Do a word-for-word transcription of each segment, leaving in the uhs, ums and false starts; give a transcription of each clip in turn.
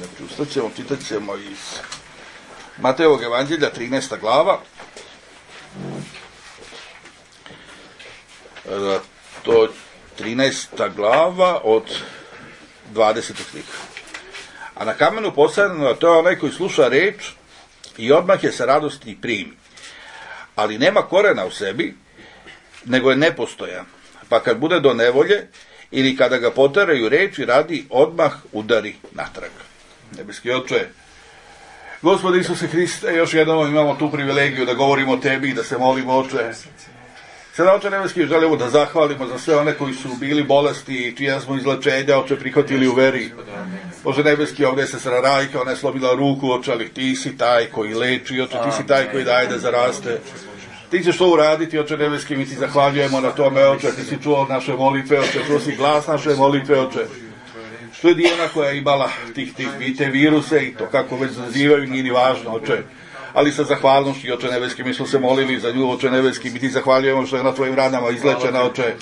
Znači, ustat ćemo, čitat ćemo iz Matejevog evanđelja, trinaesta glava. To trinaesta glava od dvadesetog stiha. A na kamenu posadeno, to je onaj koji sluša reč i odmah je sa radosti primi. Ali nema korena u sebi, nego je nepostojan. Pa kad bude do nevolje, ili kada ga poteraju reči radi, odmah udari natrag. Nebeski Oče, Gospode Isuse Hriste, još jednom imamo tu privilegiju da govorimo o Tebi i da se molimo, Oče. Sada, Oče Nebeski, želimo da zahvalimo za sve one koji su bili bolesti i čija smo izlečenja, Oče, prihvatili u veri. Bože Nebeski, ovdje je sestra Rajka, ona je slomila ruku, Oče, ali Ti si taj koji leči, Oče, Ti si taj koji daje da zaraste. Ti ćeš to uraditi, Oče Nebeski, mi Ti zahvaljujemo na tome, Oče, Ti si čuo naše molitve, Oče, čuo si glas naše molitve, Oče. Što je Dijana koja je imala tih, tih, te viruse i to kako već nazivaju, nije ni važno, Oče. Ali sa zahvalnošću, Oče Nebeski, mi smo se molili za nju, Oče Nebeski, mi Ti zahvaljujemo što je na Tvojim ranama izlečena, Oče.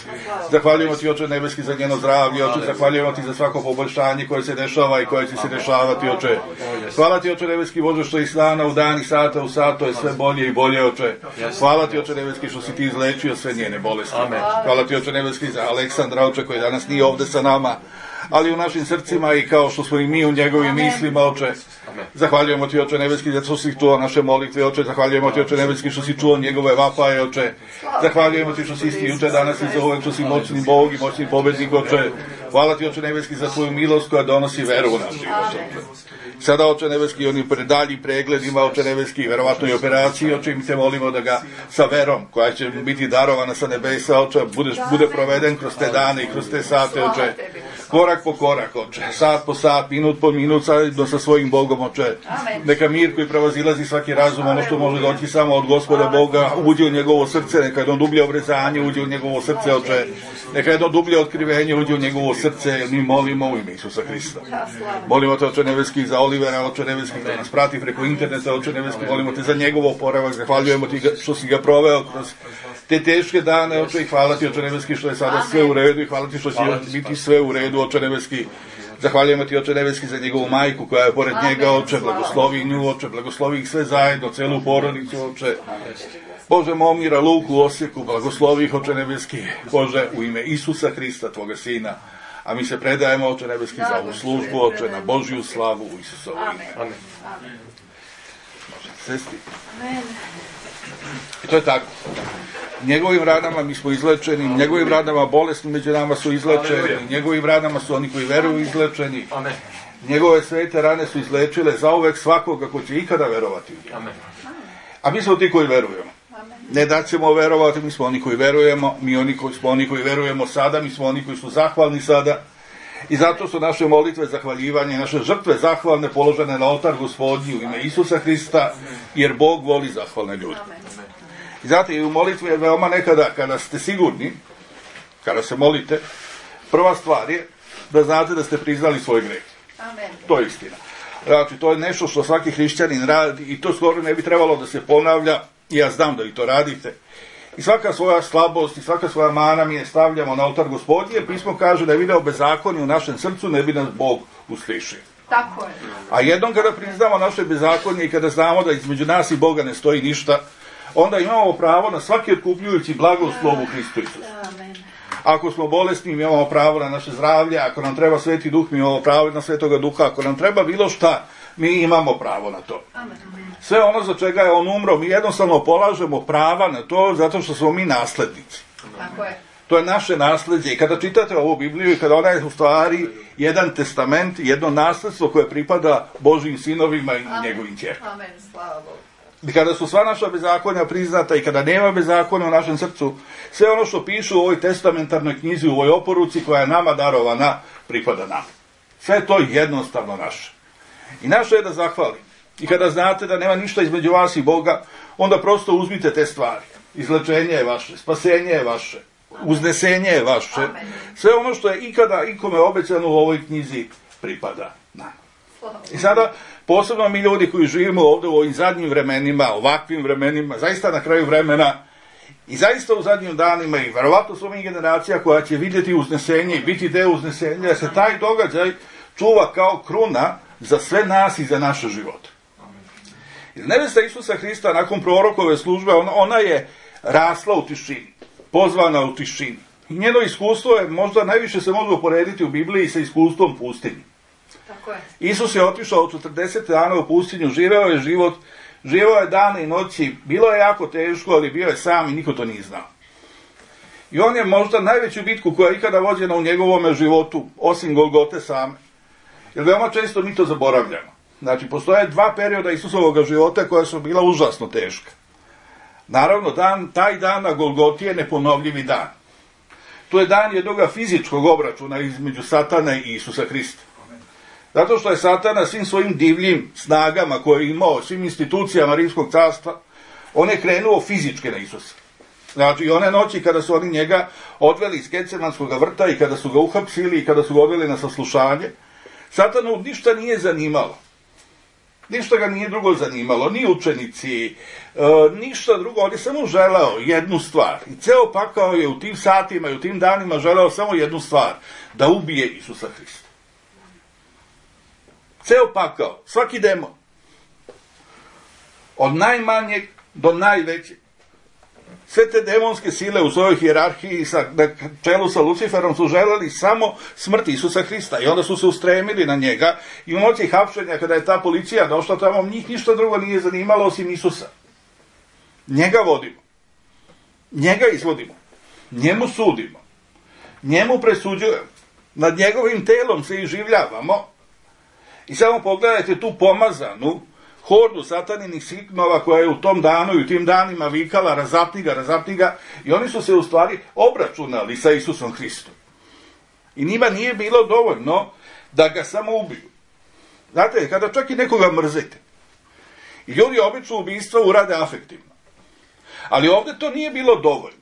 Zahvaljujemo Ti, Oče Nebeski, za njeno zdravlje, Oče, zahvaljujemo Ti za svako poboljšanje koje se dešava i koje će se dešavati, Oče. Hvala Ti, Oče Nebeski, Bože, što iz dana u dan i sata u sat, to je sve bolje i bolje, Oče. Hvala Ti, Oče Nebeski, što si Ti izlečio sve njene bolesti. Hvala Ti, Oče Nebeski, za Aleksandra, Oče, koji danas nije ovde sa nama, ali u našim srcima i kao što smo i mi u njegovim mislima, Oče. Zahvaljujemo Ti, Oče Nebeski, zato što si čuo naše molitve, Oče. Zahvaljujemo Ti, Oče Nebeski, što si čuo njegove vapaje, Oče. Zahvaljujemo Ti što si isti juče, danas i za uvek, što si moćni Bog i moćni pobednik, Oče. Hvala Ti, Oče Nebeski, za Tvoju milost koja donosi veru u naš život, Oče. Sada, Oče Nebeski, onim daljim pregledima, Oče Nebeski, verovatno i operaciji, Oče, mi te molimo da ga sa verom, koja će biti darovana sa nebesa, Oče, bude, bude proveden kroz te dane i kroz te sate, Oče. Korak po korak, Oče, sat po sat, minut po minut, zajedno sa svojim Bogom, Oče. Neka mir koji prevazilazi svaki razum, ono što može doći samo od Gospoda Boga, uđe u njegovo srce, neka jedno dublje obrezanje uđe u njegovo srce, Oče. Neka jedno dublje otkrivenje uđe u njegovo srce, jer mi molimo u ime Isusa Hrista. Molimo Te, Oče Nebeski, za Olivera, Oče Nebeski, da nas prati preko interneta, Oče Nebeski, molimo Te za njegov oporavak, zahvaljujemo Ti što si ga proveo kroz te teške dane, Oče, i hvala Ti, Oče Nebeski, što je sada sve u redu i hvala Ti što će biti sve u redu, Oče Nebeski. Zahvaljujemo Ti, Oče Nebeski, za njegovu majku koja je pored njega, Oče, blagoslovi nju, Oče, blagoslovi ih sve zajedno, celu porodicu, Oče. Bože, Momira, Luku, Osijeku, blagoslovi ih, Oče Nebeski, Bože, u ime Isusa Hrista, Tvoga Sina. A mi se predajemo, Oče Nebeski, za ovu službu, Oče, na Božju slavu u Isusovo ime. Amen. Možete sesti. I to je tako. Njegovim ranama mi smo izlečeni, njegovim ranama bolesni među nama su izlečeni, njegovim ranama su oni koji veruju izlečeni. Njegove svete rane su izlečile zauvek svakoga ko će ikada verovati. A mi smo ti koji verujemo. Ne da ćemo verovati, mi smo oni koji verujemo, mi oni koji smo oni koji verujemo sada, mi smo oni koji su zahvalni sada. I zato su naše molitve zahvaljivanje, naše žrtve zahvalne položene na oltar Gospodnji u ime Isusa Hrista, jer Bog voli zahvalne ljude. I zato i u molitvi je veoma nekada, kada ste sigurni, kada se molite, prva stvar je da znate da ste priznali svoj greh. Amen. To je istina. Znači, to je nešto što svaki hrišćanin radi i to skoro ne bi trebalo da se ponavlja. Ja znam da vi to radite. I svaka svoja slabost i svaka svoja mana mi je stavljamo na oltar Gospodnji, jer pismo kaže da je video bezakonje u našem srcu, ne bi nas Bog uslišio. Tako je. A jednom kada priznamo naše bezakonje i kada znamo da između nas i Boga ne stoji ništa, onda imamo pravo na svaki otkupljujući blagoslov u Hristu Isusu. Ako smo bolesni, mi imamo pravo na naše zdravlje, ako nam treba Sveti Duh, mi imamo pravo na Svetoga Duha, ako nam treba bilo šta, mi imamo pravo na to. Sve ono za čega je on umro, mi jednostavno polažemo prava na to zato što smo mi naslednici. Tako je. To je naše nasledđe. I kada čitate ovu Bibliju i kada ona je u stvari jedan testament, jedno nasledstvo koje pripada Božjim sinovima i njegovim ćerkama. Amen, slava Bogu. I kada su sva naša bezakonja priznata i kada nema bezakonja u našem srcu, sve ono što pišu u ovoj testamentarnoj knjizi, u ovoj oporuci koja je nama darovana, pripada nam. Sve to je jednostavno naše. I naše je da zahvalim. I kada znate da nema ništa između vas i Boga, onda prosto uzmite te stvari. Izlečenje je vaše, spasenje je vaše, uznesenje je vaše. Sve ono što je ikada ikome obećano u ovoj knjizi pripada nam. I sada, posebno mi ljudi koji živimo ovdje u ovim zadnjim vremenima, ovakvim vremenima, zaista na kraju vremena i zaista u zadnjim danima i verovatno su mi generacija koja će vidjeti uznesenje i biti deo uznesenja, da se taj događaj čuva kao kruna za sve nas i za naše živote. Nevesta Isusa Hrista nakon prorokove službe, ona, ona je rasla u tišini, pozvana u tišini. I njeno iskustvo je možda najviše se može uporediti u Bibliji sa iskustvom pustinji. Tako je. Isus je otišao četrdeset dana u pustinju, živeo je život, živeo je dane i noći, bilo je jako teško, ali bio je sam i niko to nije znao. I on je možda najveću bitku koja je ikada vođena u njegovom životu, osim Golgote same. Jer veoma često mi to zaboravljamo. Znači, postoje dva perioda Isusovog života koja su bila užasno teška. Naravno, dan, taj dan na Golgoti je neponovljivi dan. To je dan jednoga fizičkog obračuna između Satana i Isusa Hrista. Zato što je Satana svim svojim divljim snagama koje je imao, svim institucijama Rimskog carstva, on je krenuo fizičke na Isusa. Znači, one noći kada su oni njega odveli iz Getsemanskog vrta i kada su ga uhapsili i kada su ga odveli na saslušanje, Satanu ništa nije zanimalo. Ništa ga nije drugo zanimalo, ni učenici, e, ništa drugo, on je samo želeo jednu stvar. I ceo pakao je u tim satima i u tim danima želeo samo jednu stvar, da ubije Isusa Hrista. Ceo pakao, svaki demon, od najmanjeg do najvećeg, sve te demonske sile u svojoj hijerarhiji sa, na čelu sa Luciferom su želeli samo smrt Isusa Hrista i onda su se ustremili na njega i u noći hapšenja kada je ta policija došla tamo, njih ništa drugo nije zanimalo osim Isusa. Njega vodimo, njega izvodimo, njemu sudimo, njemu presuđujemo, nad njegovim telom se iživljavamo i samo pogledajte tu pomazanu hordu sataninih signova koja je u tom danu i u tim danima vikala razapni ga, razapni ga, i oni su se u stvari obračunali sa Isusom Hristom. I njima nije bilo dovoljno da ga samo ubiju. Znate, kada čak i nekoga mrzite, i ljudi obično ubistva urade afektivno, ali ovdje to nije bilo dovoljno.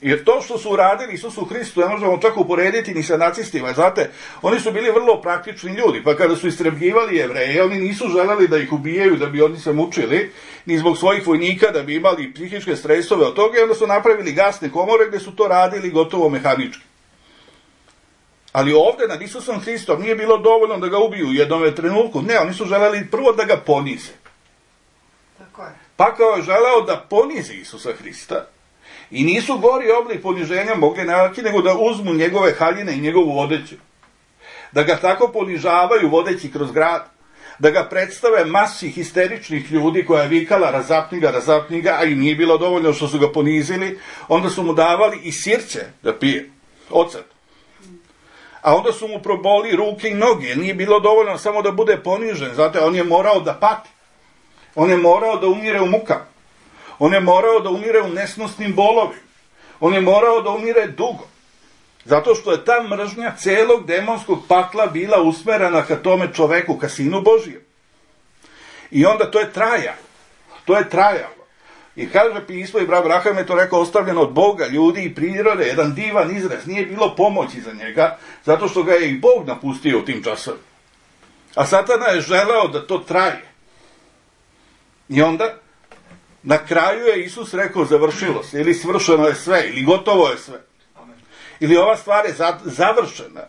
Jer to što su uradili Isusu Hristu, ne možemo čak uporediti ni sa nacistima. Znate, oni su bili vrlo praktični ljudi, pa kada su istrebljivali Jevreje, oni nisu želeli da ih ubijaju, da bi oni se mučili, ni zbog svojih vojnika, da bi imali psihičke stresove od toga, i onda su napravili gasne komore gdje su to radili gotovo mehanički. Ali ovdje nad Isusom Hristom nije bilo dovoljno da ga ubiju u jednom trenutku. Ne, oni su želeli prvo da ga ponize. Tako je. Pa kao je želeo da ponizi Isusa Hrista, i nisu gori oblik poniženja mogli naći nego da uzmu njegove haljine i njegovu odeću. Da ga tako ponižavaju vodeći kroz grad. Da ga predstave masi histeričnih ljudi koja je vikala razapni ga, razapni ga, a i nije bilo dovoljno što su ga ponizili. Onda su mu davali i sirće da pije. Ocet. A onda su mu proboli ruke i noge. Nije bilo dovoljno samo da bude ponižen. Zato on je morao da pati. On je morao da umire u mukama. On je morao da umire u nesnosnim bolovima. On je morao da umire dugo. Zato što je ta mržnja celog demonskog pakla bila usmerena ka tome čoveku, ka Sinu Božijem. I onda to je trajalo. To je trajalo. I kaže pismo, i brat Abraham je to rekao, ostavljeno od Boga, ljudi i prirode, jedan divan izraz. Nije bilo pomoći za njega, zato što ga je i Bog napustio u tim časovima. A Satana je želeo da to traje. I onda na kraju je Isus rekao završilo se, ili svršeno je sve, ili gotovo je sve. Ili ova stvar je završena.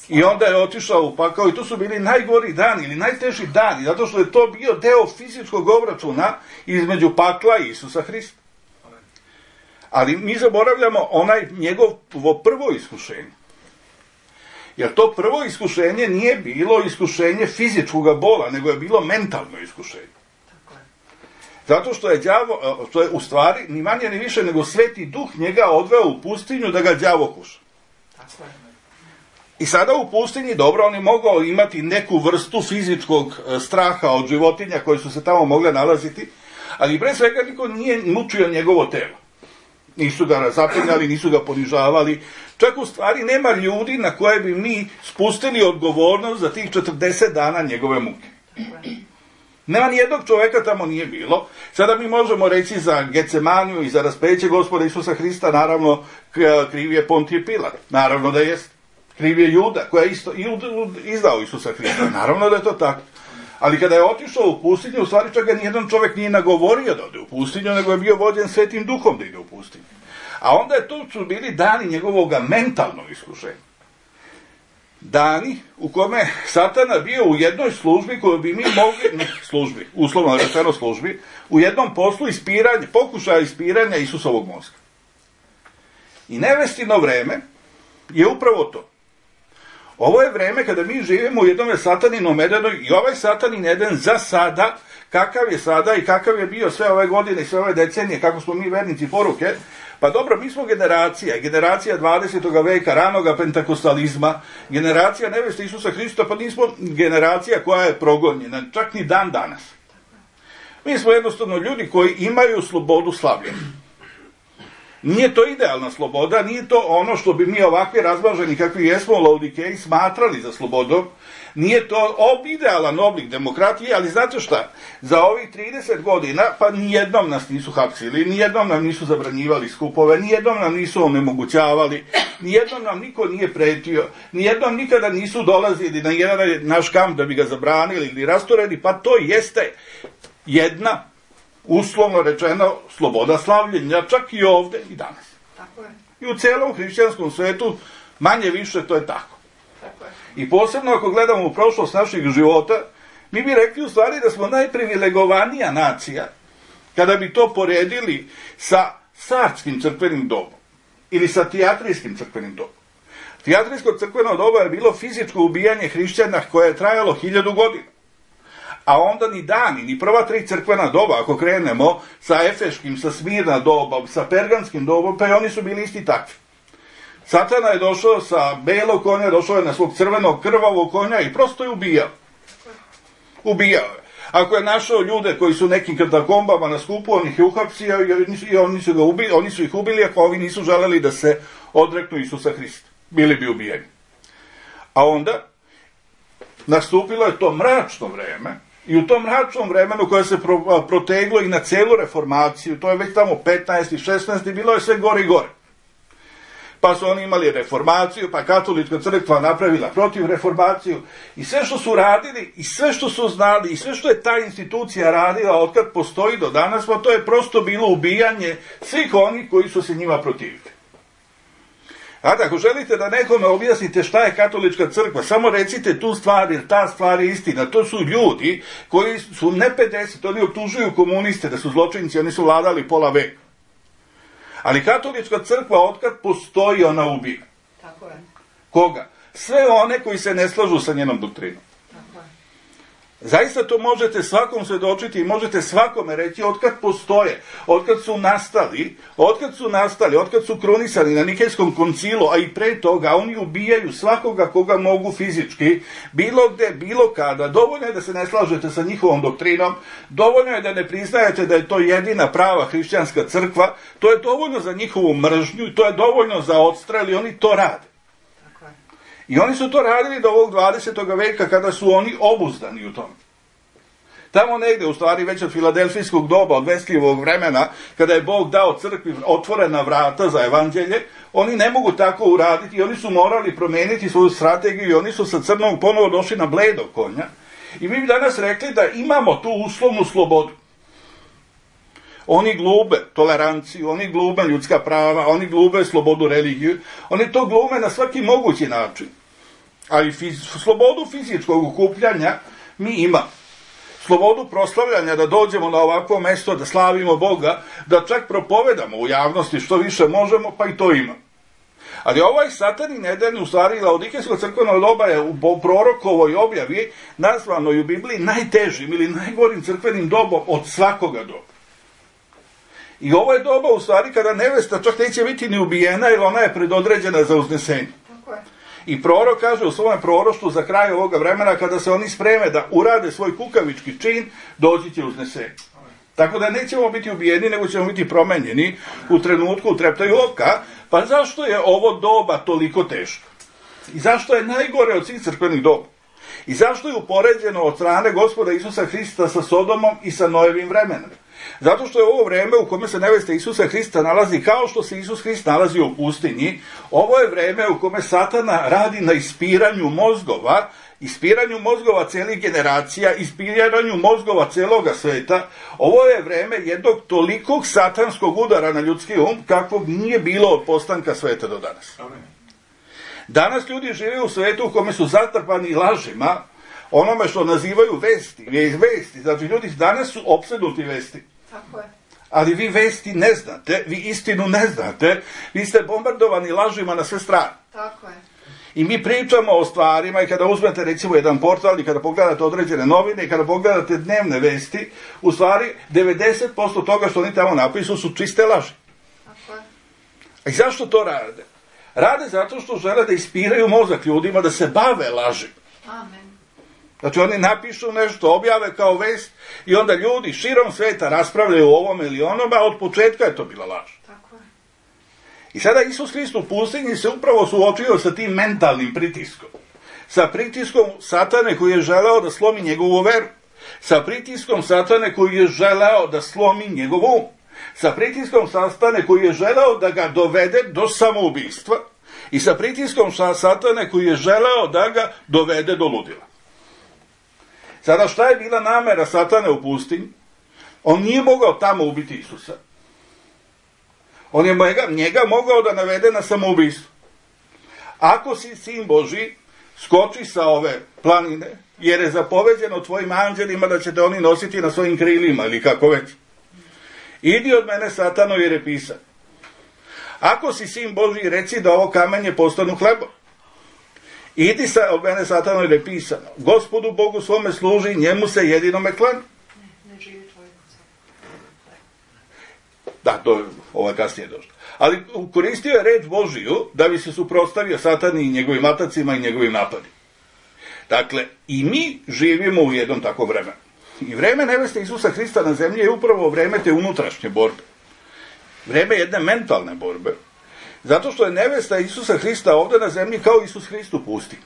I onda je otišao u pakao i to su bili najgori dani ili najteži dani, zato što je to bio deo fizičkog obračuna između pakla i Isusa Hrista. Ali mi zaboravljamo onaj njegovo prvo iskušenje. Jer to prvo iskušenje nije bilo iskušenje fizičkog bola, nego je bilo mentalno iskušenje. Zato što je đavo, što je u stvari ni manje ni više nego Sveti Duh njega odveo u pustinju da ga đavo kuša. I sada u pustinji, dobro, on je mogao imati neku vrstu fizičkog straha od životinja koje su se tamo mogle nalaziti, ali pre svega niko nije mučio njegovo telo. Nisu ga razapinjali, nisu ga ponižavali. Čak u stvari nema ljudi na koje bi mi spustili odgovornost za tih četrdeset dana njegove muke. Nema nijednog čoveka tamo nije bilo. Sada mi možemo reći za Getsemaniju i za raspeće Gospoda Isusa Hrista, naravno kriv je Pontije Pilat. Naravno da jest. Kriv je Juda koja je isto izdao Isusa Hrista. Naravno da je to tako. Ali kada je otišao u pustinju, u stvari čak ga nijedan čovek nije nagovorio da ode u pustinju, nego je bio vođen Svetim Duhom da ide u pustinju. A onda je to su bili dani njegovog mentalnog iskušenja. dani u kome Satana bio u jednoj službi koju bi mi mogli, ne službi, uslovno rečeno službi, u jednom poslu ispiranja, pokušaja ispiranja Isusovog mozga. I nevestino vreme je upravo to. Ovo je vreme kada mi živimo u jednom sataninom Edenu i ovaj satanin Eden za sada, kakav je sada i kakav je bio sve ove godine i sve ove decenije, kako smo mi vernici poruke, pa dobro, mi smo generacija, generacija dvadesetog veka, ranoga pentakostalizma, generacija neveste Isusa Hrista, pa nismo generacija koja je progonjena, čak ni dan danas. Mi smo jednostavno ljudi koji imaju slobodu slavljenja. Nije to idealna sloboda, nije to ono što bi mi ovakvi razmaženi kakvi jesmo u Laodikeji smatrali za slobodom, nije to ob idealan oblik demokratije, ali znate šta, za ovih trideset godina, pa nijednom nas nisu hapsili, nijednom nam nisu zabranjivali skupove, nijednom nam nisu onemogućavali, nijednom nam niko nije pretio, nijednom nikada nisu dolazili na jedan naš kamp da bi ga zabranili ili rasturili, pa to jeste jedna, uslovno rečeno, sloboda slavljenja, čak i ovde i danas. Tako je. I u celom hrišćanskom svetu, manje više, to je tako. Tako je. I posebno ako gledamo u prošlost naših života, mi bi rekli u stvari da smo najprivilegovanija nacija, kada bi to poredili sa carskim crkvenim dobom, ili sa tijatrijskim crkvenim dobom. Tijatrijsko crkveno doba je bilo fizičko ubijanje hrišćana koje je trajalo hiljadu godina. A onda ni dani, ni prva tri crkvena doba, ako krenemo sa Efeškim, sa Smirna dobom, sa Pergamskim dobom, pa i oni su bili isti takvi. Satana je došao sa belog konja, došao je na svog crvenog krvavog konja i prosto je ubijao. Ubijao je. Ako je našao ljude koji su nekim katakombama na skupu, on ih je uhapsio i oni su, ga ubili, oni su ih ubili ako ovi nisu želeli da se odreknu Isusa Hrista. Bili bi ubijeni. A onda nastupilo je to mračno vreme, i u tom mračnom vremenu koje se pro, proteglo i na celu reformaciju, to je već tamo petnaesti, šesnaesti, bilo je sve gore i gore. Pa su oni imali reformaciju, pa katolička crkva napravila protiv reformaciju i sve što su radili, i sve što su znali, i sve što je ta institucija radila otkad postoji do danas, pa to je prosto bilo ubijanje svih onih koji su se njima protivili. A ako želite da nekome objasnite šta je katolička crkva, samo recite tu stvar, jer ta stvar je istina. To su ljudi koji su ne pedeset, oni optužuju komuniste da su zločinci, oni su vladali pola veka. Ali katolička crkva, otkad postoji, ona ubija. Tako je. Koga? Sve one koji se ne slažu sa njenom doktrinom. Tako je. Zaista to možete svakom svedočiti i možete svakome reći otkad postoje, otkad su nastali, otkad su nastali, otkad su krunisani na Nikejskom koncilu, a i pre toga, oni ubijaju svakoga koga mogu fizički, bilo gde, bilo kada. Dovoljno je da se ne slažete sa njihovom doktrinom, dovoljno je da ne priznajete da je to jedina prava hrišćanska crkva, to je dovoljno za njihovu mržnju i to je dovoljno za odstrel i oni to rade. I oni su to radili do ovog dvadesetog veka kada su oni obuzdani u tome. Tamo negde, u stvari već od filadelfijskog doba, od Veslijevog vremena, kada je Bog dao crkvi otvorena vrata za evanđelje, oni ne mogu tako uraditi i oni su morali promeniti svoju strategiju i oni su sa crnom ponovo došli na bledog konja. I mi bi danas rekli da imamo tu uslovnu slobodu. Oni glube toleranciju, oni glube ljudska prava, oni glube slobodu religiju, oni to glume na svaki mogući način. Ali fiz, slobodu fizičkog okupljanja mi imamo. Slobodu proslavljanja, da dođemo na ovakvo mesto, da slavimo Boga, da čak propovedamo u javnosti što više možemo, pa i to imamo. Ali ovaj satanin Eden, u stvari Laodikejsko crkveno doba je u prorokovoj objavi nazvano u Bibliji najtežim ili najgorim crkvenim dobom od svakoga doba. I ovo je doba u stvari kada nevesta čak neće biti ni ubijena, jer ona je predodređena za uznesenje. Tako je. I prorok kaže u svom proroštvu za kraj ovoga vremena, kada se oni spreme da urade svoj kukavički čin, doći će uznesenje. Tako da nećemo biti ubijeni, nego ćemo biti promenjeni u trenutku, u treptaju oka. Pa zašto je ovo doba toliko teško? I zašto je najgore od svih crkvenih doba? I zašto je upoređeno od strane Gospoda Isusa Hrista sa Sodomom i sa Noevim vremenom? Zato što je ovo vreme u kome se nevesta Isusa Hrista nalazi kao što se Isus Hrist nalazi u pustinji. Ovo je vreme u kome Satana radi na ispiranju mozgova, ispiranju mozgova celih generacija, ispiranju mozgova celoga sveta. Ovo je vreme jednog tolikog satanskog udara na ljudski um kakvog nije bilo od postanka sveta do danas. Danas ljudi žive u svetu u kome su zatrpani lažima, onome što nazivaju vesti, vesti. Znači, ljudi danas su opsednuti vesti. Tako je. Ali vi vesti ne znate, vi istinu ne znate, vi ste bombardovani lažima na sve strane. Tako je. I mi pričamo o stvarima i kada uzmete recimo jedan portal i kada pogledate određene novine i kada pogledate dnevne vesti, u stvari devedeset posto toga što oni tamo napisu su čiste laži. Tako je. A i zašto to rade? Rade zato što žele da ispiraju mozak ljudima da se bave laži. Amen. Znači oni napišu nešto, objave kao vest i onda ljudi širom sveta raspravljaju o ovom ili onome, a od početka je to bila laž. Tako je. I sada Isus Hrist u pustinji se upravo suočio sa tim mentalnim pritiskom. Sa pritiskom Satane koji je želeo da slomi njegovu veru. Sa pritiskom Satane koji je želeo da slomi njegov um. Sa pritiskom Satane koji je želeo da ga dovede do samoubistva. I sa pritiskom Satane koji je želeo da ga dovede do ludila. Sada šta je bila namera Satane u pustinji? On nije mogao tamo ubiti Isusa. On je njega, njega mogao da navede na samoubistvo. Ako si sin Božji, skoči sa ove planine, jer je zapoveđeno tvojim anđelima da će te oni nositi na svojim krilima, ili kako već. Idi od mene, Satano, jer je pisan. Ako si sin Božji, reci da ovo kamenje postanu hlebom. Idi sa, od mene, Satano, jer je pisano. Gospodu Bogu svome služi, njemu se jedinome klanja. Ne, ne živi tvoj kuca. Da, to je ovaj kasnije došlo. Ali koristio je reč Božiju da bi se suprotstavio Satani i njegovim atacima i njegovim napadima. Dakle, i mi živimo u jednom takvom vremenu. I vreme neveste Isusa Hrista na zemlji je upravo vreme te unutrašnje borbe. Vreme jedne mentalne borbe. Zato što je nevesta Isusa Hrista ovdje na zemlji kao Isus Hrist u pustinji.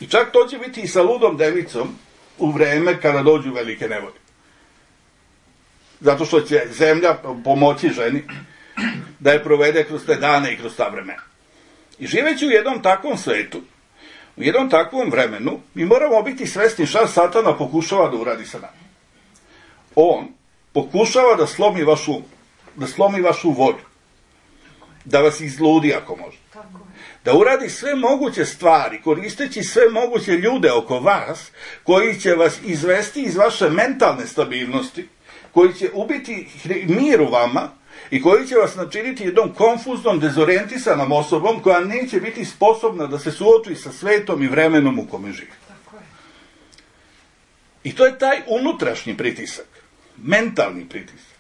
I čak to će biti i sa ludom devicom u vreme kada dođu velike nevolje. Zato što će zemlja pomoći ženi da je provede kroz te dane i kroz ta vremena. I živeći u jednom takvom svetu, u jednom takvom vremenu, mi moramo biti svesni šta Satana pokušava da uradi sa nama. On pokušava da slomi vašu, da slomi vašu volju, da vas izludi ako može. Da uradi sve moguće stvari, koristeći sve moguće ljude oko vas, koji će vas izvesti iz vaše mentalne stabilnosti, koji će ubiti mir u vama i koji će vas načiniti jednom konfuznom, dezorientisanom osobom koja neće biti sposobna da se suoči sa svetom i vremenom u kome živi. I to je taj unutrašnji pritisak, mentalni pritisak,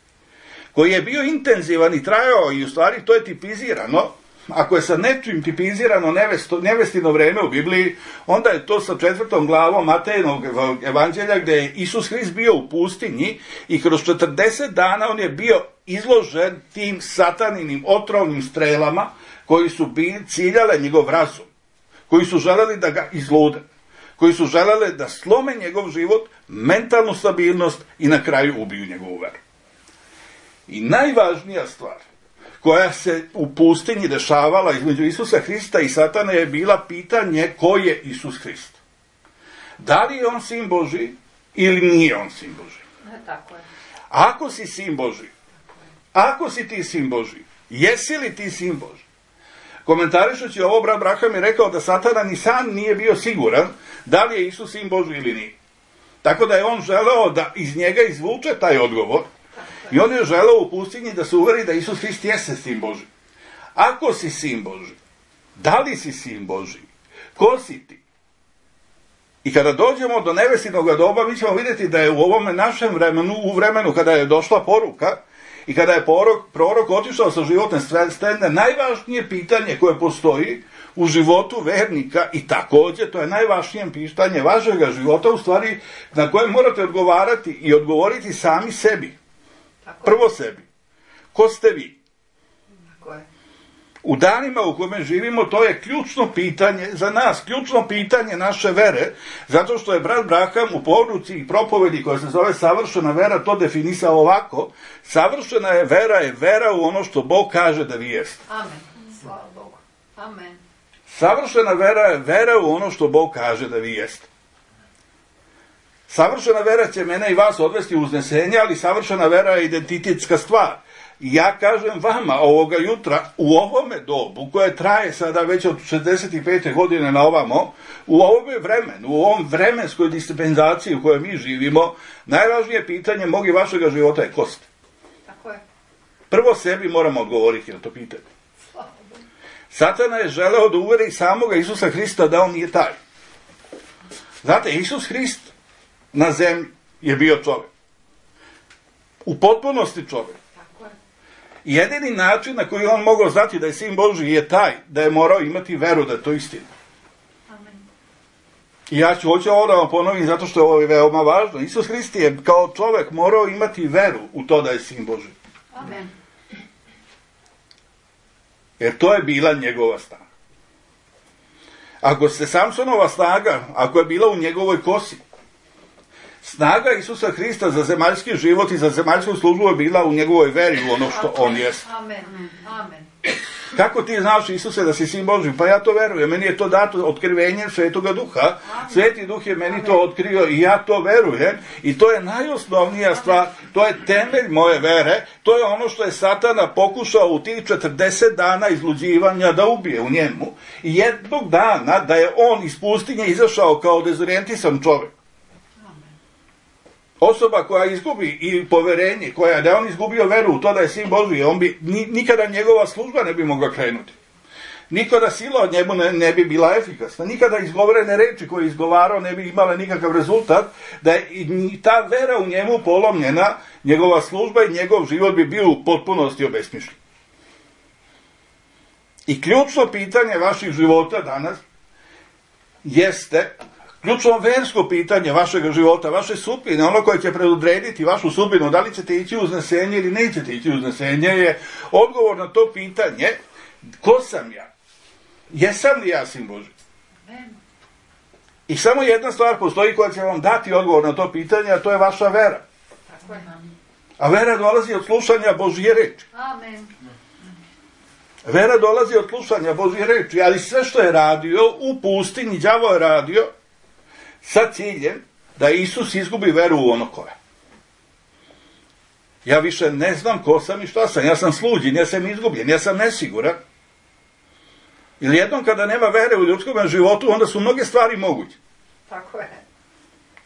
koji je bio intenzivan i trajao i u stvari to je tipizirano. Ako je sa nečim tipizirano nevesto, nevestino vreme u Bibliji, onda je to sa četvrtom glavom Matejinog evanđelja gdje je Isus Hrist bio u pustinji i kroz četrdeset dana on je bio izložen tim sataninim otrovnim strelama koji su ciljale njegov razum, koji su želeli da ga izlude, koji su želeli da slome njegov život, mentalnu stabilnost i na kraju ubiju njegovu veru. I najvažnija stvar koja se u pustinji dešavala između Isusa Hrista i Satane je bila pitanje ko je Isus Hrist. Da li je on sin Božji ili nije on sin Božji? Ne, tako je. Ako si sin Božji, ako si ti sin Božji, jesi li ti sin Božji? Komentarišući ovo, brat Braham je rekao da Satana ni sam nije bio siguran da li je Isus sin Božji ili nije. Tako da je on želeo da iz njega izvuče taj odgovor. I on je želeo u pustinji da se uveri da Isus Hrist jeste sin Božji. Ako si sin Božji, da li si sin Božji? Ko si ti? I kada dođemo do nevestinoga doba, mi ćemo vidjeti da je u ovome našem vremenu, u vremenu kada je došla poruka i kada je prorok, prorok otišao sa životne scene, najvažnije pitanje koje postoji u životu vernika i također to je najvažnije pitanje vašega života, u stvari na koje morate odgovarati i odgovoriti sami sebi. Prvo sebi. Ko ste vi? U danima u kojima živimo to je ključno pitanje za nas, ključno pitanje naše vere, zato što je brat Braham u poruci i propovedi koja se zove savršena vera to definisao ovako: savršena je vera je vera u ono što Bog kaže da vi jeste. Amen. Slava Bogu. Amen. Savršena vera je vera u ono što Bog kaže da vi jeste. Savršena vera će mene i vas odvesti u uznesenje, ali savršena vera je identitetska stvar. I ja kažem vama ovoga jutra, u ovome dobu, koje traje sada već od šezdeset pete godine na ovamo, u ovome vremenu, u ovom vremenskoj dispenzaciji u kojoj mi živimo, najvažnije pitanje mog i vašega života je ko ste. Tako je. Prvo sebi moramo odgovoriti na to pitanje. Satana je želeo da uveri samoga Isusa Hrista da on nije taj. Znate, Isus Hrist na zemlji je bio čovjek. U potpunosti čovjek. Jedini način na koji on mogao znati da je sin Božji je taj da je morao imati veru da je to istina. Amen. I ja ću hoću ovo da vam ponovim zato što je ovo veoma važno. Isus Hrist je kao čovjek morao imati veru u to da je sin Božji. Amen. Jer to je bila njegova snaga. Ako se Samsonova snaga, ako je bila u njegovoj kosi, snaga Isusa Hrista za zemaljski život i za zemaljsku službu je bila u njegovoj veri u ono što on jest. Amen. Amen. Kako ti znaš, Isuse, da si sin Božji? Pa ja to verujem. Meni je to dato otkrivenjem Svetoga Duha. Sveti Duh je meni to otkrio i ja to verujem. I to je najosnovnija stvar. To je temelj moje vere. To je ono što je Satana pokušao u tih četrdeset dana izluđivanja da ubije u njemu. I jednog dana da je on iz pustinje izašao kao dezorijentisan čovjek. Osoba koja izgubi i poverenje, koja da je on izgubio veru u to da je sin Božji, on bi, nikada njegova služba ne bi mogla krenuti. Nikada sila od njemu ne, ne bi bila efikasna. Nikada izgovorene reči koje je izgovarao ne bi imale nikakav rezultat. Da je ta vera u njemu polomljena, njegova služba i njegov život bi bio u potpunosti obesmišljen. I ključno pitanje vaših života danas jeste... Ključno versko pitanje vašeg života, vaše sudbine, ono koje će predodrediti vašu sudbinu, da li ćete ići u uznesenje ili nećete ići u uznesenje, je odgovor na to pitanje, ko sam ja? Jesam li ja sin Božji? I samo jedna stvar postoji koja će vam dati odgovor na to pitanje, a to je vaša vera. A vera dolazi od slušanja Božje reči. Amen. Vera dolazi od slušanja Božje reči, ali sve što je radio u pustinji, đavo je radio sa ciljem da Isus izgubi veru u ono koje. Ja više ne znam ko sam i šta sam. Ja sam sluđen, ja sam izgubljen, ja sam nesiguran. Ili jednom kada nema vere u ljudskom životu, onda su mnoge stvari moguće. Tako je.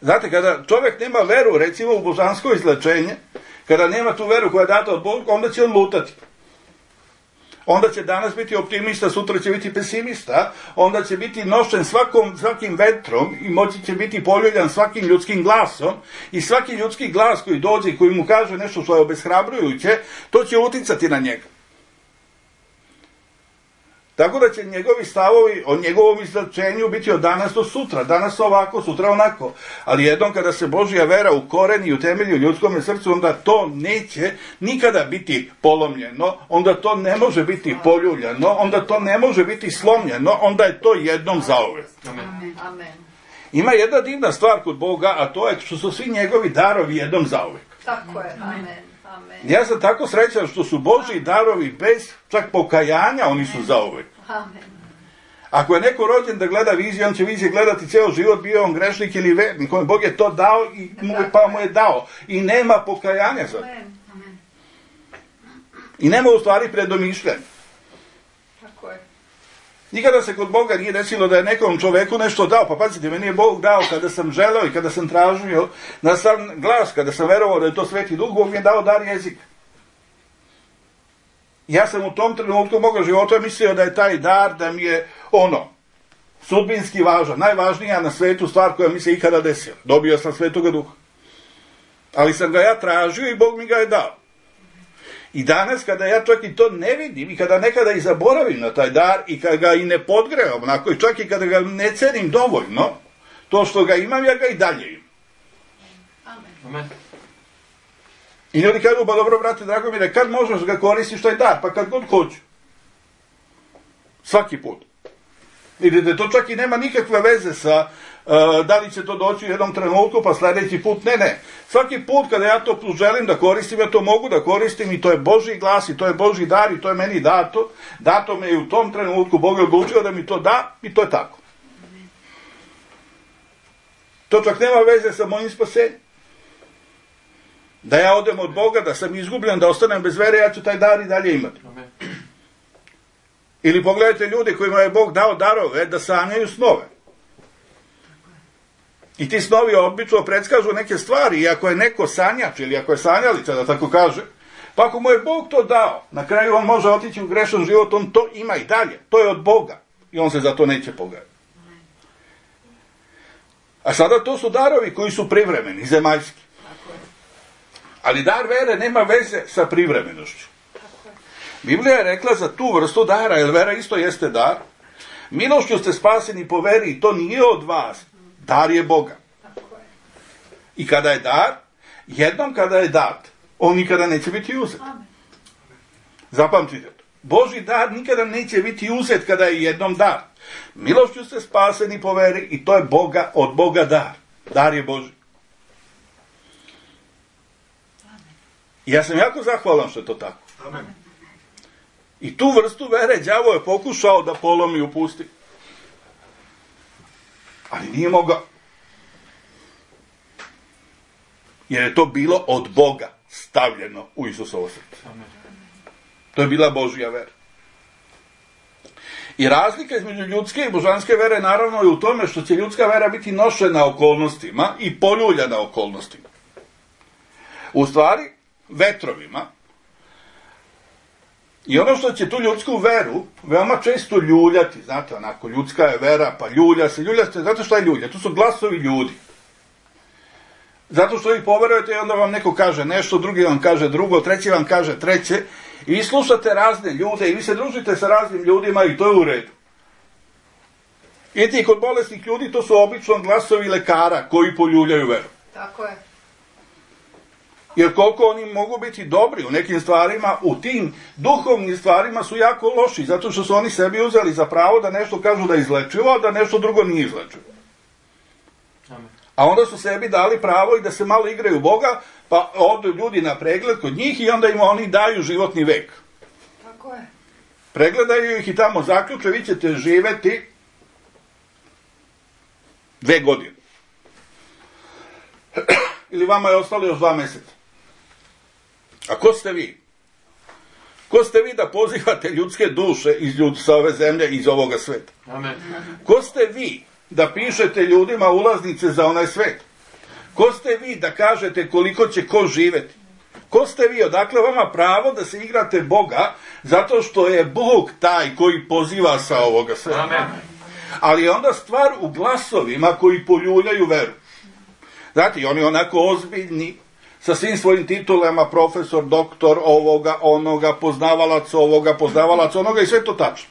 Znate, kada čovjek nema veru, recimo u božansko izlečenje, kada nema tu veru koja je data od Boga, onda će on lutati. Onda će danas biti optimista, sutra će biti pesimista, onda će biti nošen svakom, svakim vetrom i moći će biti poljuljan svakim ljudskim glasom i svaki ljudski glas koji dođe i koji mu kaže nešto što je obeshrabrujuće, to će uticati na njega. Tako da će njegovi stavovi o njegovom izlečenju biti od danas do sutra, danas ovako, sutra onako. Ali jednom kada se Božja vera ukoreni i utemelji u ljudskom srcu, onda to neće nikada biti polomljeno, onda to ne može biti poljuljano, onda to ne može biti slomljeno, onda je to jednom zauvek. Amen. Amen. Ima jedna divna stvar kod Boga, a to je što su svi njegovi darovi jednom zauvek. Tako je. Amen. Amen. Ja sam tako srećan što su Božji darovi bez čak pokajanja, oni su zauvek. Amen. Ako je neko rođen da gleda viziju, on će vizije gledati ceo život, bio on grešnik ili vernik, kome Bog je to dao i mu, pa mu je dao. I nema pokajanja za to. Amen. I nema u stvari predomišljanja. Tako je. Nikada se kod Boga nije desilo da je nekom čoveku nešto dao. Pa pazite, meni je Bog dao kada sam želeo i kada sam tražio na sam glas, kada sam verovao da je to Sveti Duh, Bog mi je dao dar jezika. Ja sam u tom trenutku moga života mislio da je taj dar, da mi je ono, sudbinski važan, najvažnija na svetu stvar koja mi se ikada desila. Dobio sam Svetoga Duha. Ali sam ga ja tražio i Bog mi ga je dao. I danas kada ja čak i to ne vidim i kada nekada i zaboravim na taj dar i kada ga i ne podgrevam, onako, i čak i kada ga ne cenim dovoljno, to što ga imam, ja ga i dalje imam. Amen. Amen. I ljudi kažu, ba dobro, brate, drago mi je, kad možeš ga koristiš taj dar? Pa kad god hoću. Svaki put. Vidite, to čak i nema nikakve veze sa uh, da li će to doći u jednom trenutku, pa sljedeći put. Ne, ne. Svaki put kada ja to želim da koristim, ja to mogu da koristim i to je Božji glas i to je Božji dar i to je meni dato. Dato me i u tom trenutku Bog je odlučio da mi to da i to je tako. To čak nema veze sa mojim spasenjem. Da ja odem od Boga, da sam izgubljen, da ostanem bez vere, ja ću taj dar i dalje imati. Amen. Ili pogledajte ljude kojima je Bog dao darove da sanjaju snove. I ti snovi obično predskažu neke stvari, i ako je neko sanjač ili ako je sanjalica, da tako kaže, pa ako mu je Bog to dao, na kraju on može otići u grešan život, on to ima i dalje. To je od Boga i on se za to neće pogledati. A sada to su darovi koji su privremeni, zemaljski. Ali dar vere nema veze sa privremenošću. Biblija je rekla za tu vrstu dara, jer vera isto jeste dar. Milošću ste spaseni po veri i to nije od vas. Dar je Boga. I kada je dar, jednom kada je dat, on nikada neće biti uzet. Zapamtite to. Božji dar nikada neće biti uzet kada je jednom dar. Milošću ste spaseni po veri i to je Boga, od Boga dar. Dar je Božji. I ja sam jako zahvalan što je to tako. Amen. I tu vrstu vere đavo je pokušao da polomi i upusti. Ali nije mogao. Jer je to bilo od Boga stavljeno u Isusovo srce. Amen. To je bila Božja vera. I razlika između ljudske i božanske vere naravno je u tome što će ljudska vera biti nošena okolnostima i poljuljana okolnostima. U stvari, vetrovima. I ono što će tu ljudsku veru veoma često ljuljati, znate, onako, ljudska je vera, pa ljulja se, ljulja se, znate šta je ljulja? To su glasovi ljudi. Zato što vi poverujete i onda vam neko kaže nešto, drugi vam kaže drugo, treći vam kaže treće, i vi slušate razne ljude i vi se družite sa raznim ljudima i to je u redu. I ti kod bolesnih ljudi to su obično glasovi lekara koji poljuljaju veru. Tako je. Jer koliko oni mogu biti dobri u nekim stvarima, u tim duhovnim stvarima su jako loši, zato što su oni sebi uzeli za pravo da nešto kažu da je izlečivo, a da nešto drugo nije izlečivo. Amen. A onda su sebi dali pravo i da se malo igraju Boga, pa odu ljudi na pregled kod njih i onda im oni daju životni vek. Tako je. Pregledaju ih i tamo zaključe, vi ćete živeti dve godine. Ili vama je ostalo još dva meseca. A ko ste vi? Ko ste vi da pozivate ljudske duše iz ljud, sa ove zemlje, iz ovoga sveta? Amen. Ko ste vi da pišete ljudima ulaznice za onaj svet? Ko ste vi da kažete koliko će ko živeti? Ko ste vi? Odakle vama pravo da se igrate Boga, zato što je Bog taj koji poziva sa ovoga sveta? Amen. Ali je onda stvar u glasovima koji poljuljaju veru. Znate, i oni onako ozbiljni, sa svim svojim titulama, profesor, doktor, ovoga, onoga, poznavalac ovoga, poznavalac onoga, i sve to tačno.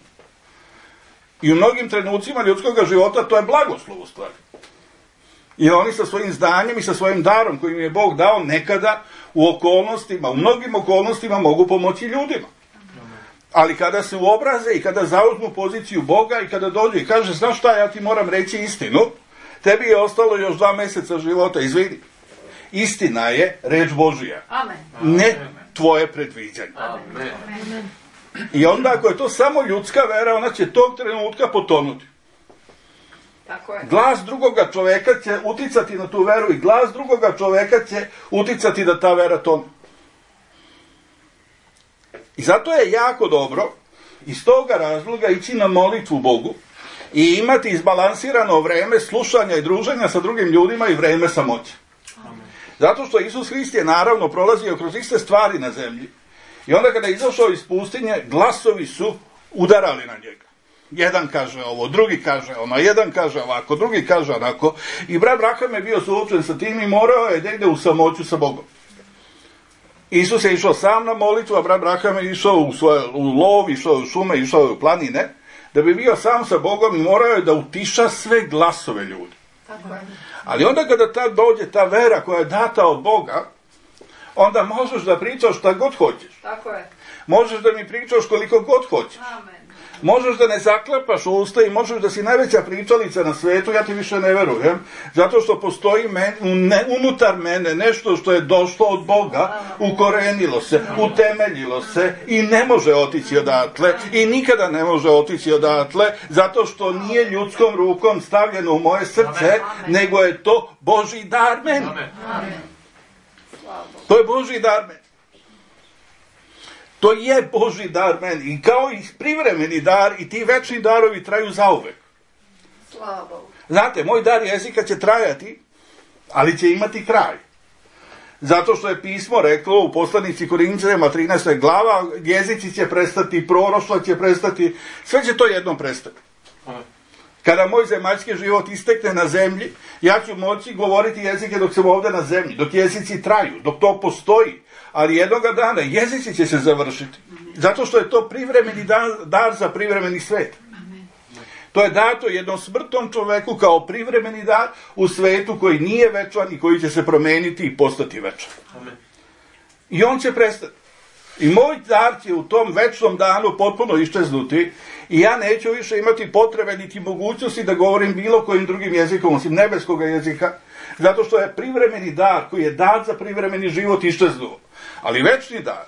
I u mnogim trenucima ljudskog života to je blagoslov u stvari. I oni sa svojim znanjem i sa svojim darom koji im je Bog dao nekada u okolnostima, u mnogim okolnostima mogu pomoći ljudima. Ali kada se uobraze i kada zauzmu poziciju Boga i kada dođu i kaže, znaš šta, ja ti moram reći istinu, tebi je ostalo još dva meseca života, izvini. Istina je reč Božija. Amen. Ne tvoje predviđanje. Amen. Amen. I onda ako je to samo ljudska vera, ona će tog trenutka potonuti. Tako je. Glas drugoga čoveka će uticati na tu veru i glas drugoga čoveka će uticati da ta vera tone. I zato je jako dobro iz toga razloga ići na molitvu Bogu i imati izbalansirano vreme slušanja i druženja sa drugim ljudima i vreme samoće. Zato što Isus Hrist je naravno prolazio kroz iste stvari na zemlji. I onda kada je izašao iz pustinje, glasovi su udarali na njega. Jedan kaže ovo, drugi kaže ono, jedan kaže ovako, drugi kaže onako. I brat Braham je bio suočen sa tim i morao je da ide u samoću sa Bogom. Isus je išao sam na molitvu, a brat Braham je išao u, svoje, u lov, išao u šume, išao u planine, da bi bio sam sa Bogom i morao je da utiša sve glasove ljudi. Tako je. Ali onda kada ta dođe ta vera koja je data od Boga, onda možeš da pričaš šta god hoćeš. Tako je. Možeš da mi pričaš koliko god hoćeš. Amen. Možeš da ne zaklapaš usta i možeš da si najveća pričalica na svetu, ja ti više ne verujem, zato što postoji men, ne, unutar mene nešto što je došlo od Boga, ukorenilo se, utemeljilo se i ne može otići odatle i nikada ne može otići odatle, zato što nije ljudskom rukom stavljeno u moje srce, Amen. nego je to Božji dar meni. Amen. Amen. Slava Bogu. To je Božji dar meni. To je Božji dar meni. I kao i privremeni dar, i ti večni darovi traju zauvek. Slava Bogu. Znate, moj dar jezika će trajati, ali će imati kraj. Zato što je pismo reklo u poslanici Korinćanima trinaesta glava, jezici će prestati, proroštva će prestati, sve će to jednom prestati. Kada moj zemaljski život istekne na zemlji, ja ću moći govoriti jezike dok sam ovdje na zemlji, dok jezici traju, dok to postoji. Ali jednoga dana jezici će se završiti. Zato što je to privremeni dar, dar za privremeni svet. To je dato jednom smrtnom čoveku kao privremeni dar u svetu koji nije večan i koji će se promeniti i postati večan. I on će prestati. I moj dar će u tom večnom danu potpuno iščeznuti i ja neću više imati potrebe niti mogućnosti da govorim bilo kojim drugim jezikom, osim nebeskog jezika, zato što je privremeni dar koji je dat za privremeni život iščeznuo. Ali večni dar,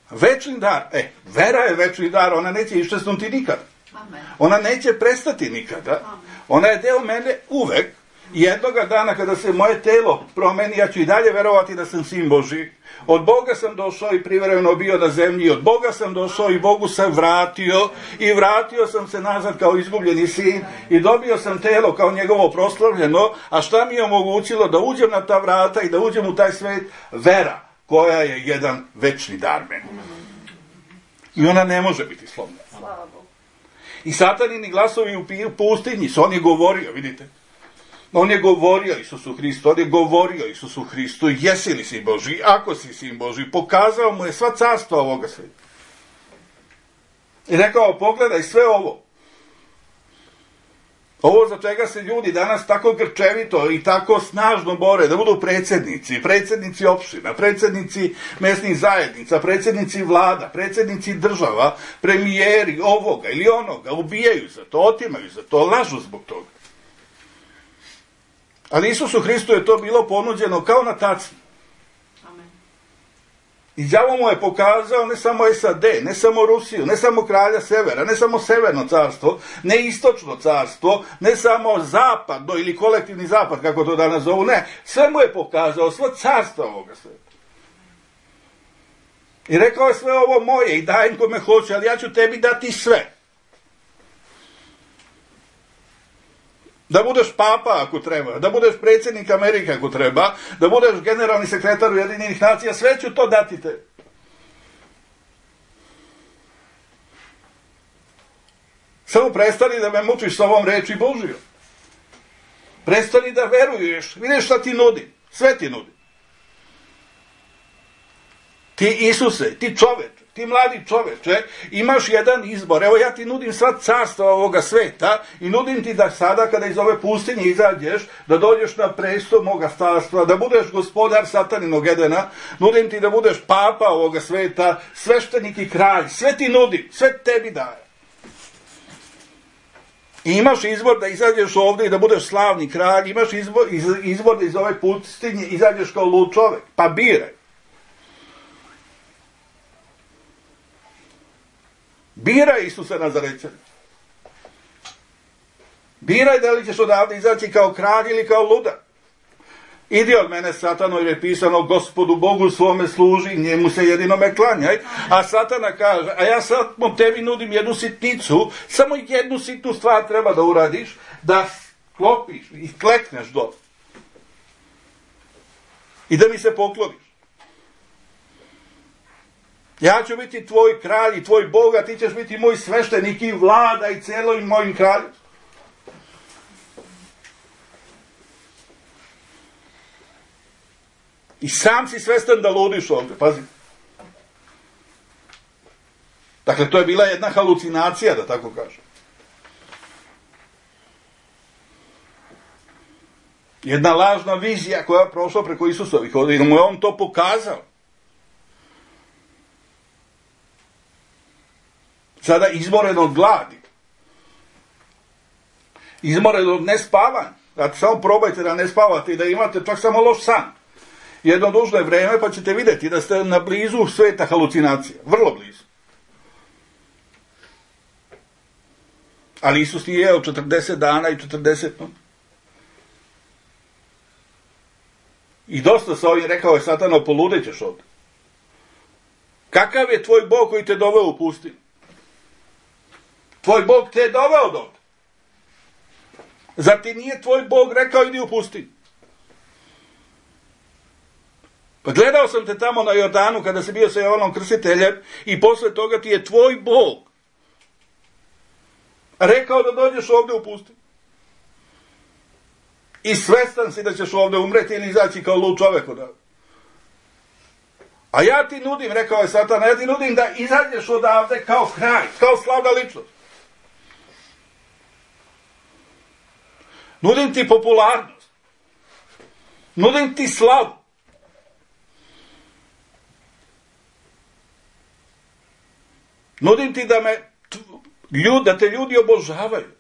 večni dar, e, vera je večni dar, ona neće iščeznuti nikada. Amen. Ona neće prestati nikada. Ona je deo mene uvek. Jednoga dana kada se moje telo promeni, ja ću i dalje verovati da sam sin Božji. Od Boga sam došao i privremeno bio na zemlji. Od Boga sam došao i Bogu sam vratio. I vratio sam se nazad kao izgubljeni sin. I dobio sam telo kao njegovo proslavljeno. A šta mi je omogućilo da uđem na ta vrata i da uđem u taj svet? Vera, koja je jedan večni dar meni. I ona ne može biti slobodna. Slava Bogu. I satanini glasovi u pustinji, on je govorio, vidite. On je govorio Isusu Hristu, on je govorio Isusu Hristu, jesi li sin Božji, ako si sin Božji, pokazao mu je sva carstva ovoga sveta. I rekao, pogledaj sve ovo. Ovo za čega se ljudi danas tako grčevito i tako snažno bore, da budu predsjednici, predsjednici opština, predsjednici mesnih zajednica, predsjednici vlada, predsjednici država, premijeri ovoga ili onoga, ubijaju za to, otimaju za to, lažu zbog toga. Ali Isusu Hristu je to bilo ponuđeno kao na tacni. I đavo mu je pokazao ne samo S A D, ne samo Rusiju, ne samo kralja severa, ne samo severno carstvo, ne istočno carstvo, ne samo zapadno ili kolektivni zapad, kako to danas zovu, ne. Sve mu je pokazao, sva carstva ovoga sveta. I rekao je sve ovo moje i dajem kome hoće, ali ja ću tebi dati sve. Da budeš papa ako treba, da budeš predsjednik Amerike ako treba, da budeš generalni sekretar Ujedinjenih nacija, sve ću to dati te. Samo prestani da me mučiš sa ovom reči Božijom. Prestani da veruješ, vidiš šta ti nudi, sve ti nudi. Ti Isuse, ti čoveče, ti mladi čoveče, imaš jedan izbor. Evo ja ti nudim sva carstva ovoga sveta i nudim ti da sada kada iz ove pustinje izađeš, da dođeš na presto moga carstva, da budeš gospodar sataninog Edena, nudim ti da budeš papa ovoga sveta, sveštenik i kralj, sve ti nudim, sve tebi daje. I imaš izbor da izađeš ovdje i da budeš slavni kralj, imaš izbor, iz, izbor da iz ove pustinje izađeš kao lud čovek, pa biraj. Biraj Isusa Nazarećana. Biraj da li ćeš odavde izaći kao kralj ili kao ludak. Idi od mene, Satano, jer je pisano Gospodu Bogu svome služi, njemu se jedinome klanjaj. A Satana kaže, a ja sad tebi nudim jednu sitnicu, samo jednu sitnu stvar treba da uradiš, da sklopiš i klekneš dole. I da mi se pokloniš. Ja ću biti tvoj kralj i tvoj Bog, a ti ćeš biti moj sveštenik i vlada i celo mojim kraljem. I sam si svestan da ludiš ovdje, pazi. Dakle, to je bila jedna halucinacija, da tako kažem. Jedna lažna vizija koja je prošla preko Isusovih ovdje i mu je on to pokazao. Sada izmoren od gladi. Izmoren od nespavanja. Znači, samo probajte da ne spavate i da imate čak samo loš san. Jedno dužno je vreme pa ćete vidjeti da ste na blizu sveta halucinacija. Vrlo blizu. Ali Isus nije jeo četrdeset dana i četrdeset noći. I dosta sa ovim rekao je Satano, poludećeš ovdje. Kakav je tvoj Bog koji te doveo u pustinju? Tvoj Bog te je doveo do ovdje. Zar ti nije tvoj Bog rekao idi u pustinju? Pa gledao sam te tamo na Jordanu kada si bio sa Jovanom Krstiteljem i posle toga ti je tvoj Bog rekao da dođeš ovdje u pustinju. I svestan si da ćeš ovdje umreti ili izaći kao lud čovjek odavde. A ja ti nudim, rekao je Satan, ja ti nudim da izađeš odavde kao kralj, kao slavna ličnost. Nudim ti popularnost. Nudim ti slavu. Nudim ti da me ljud, da te ljudi obožavaju.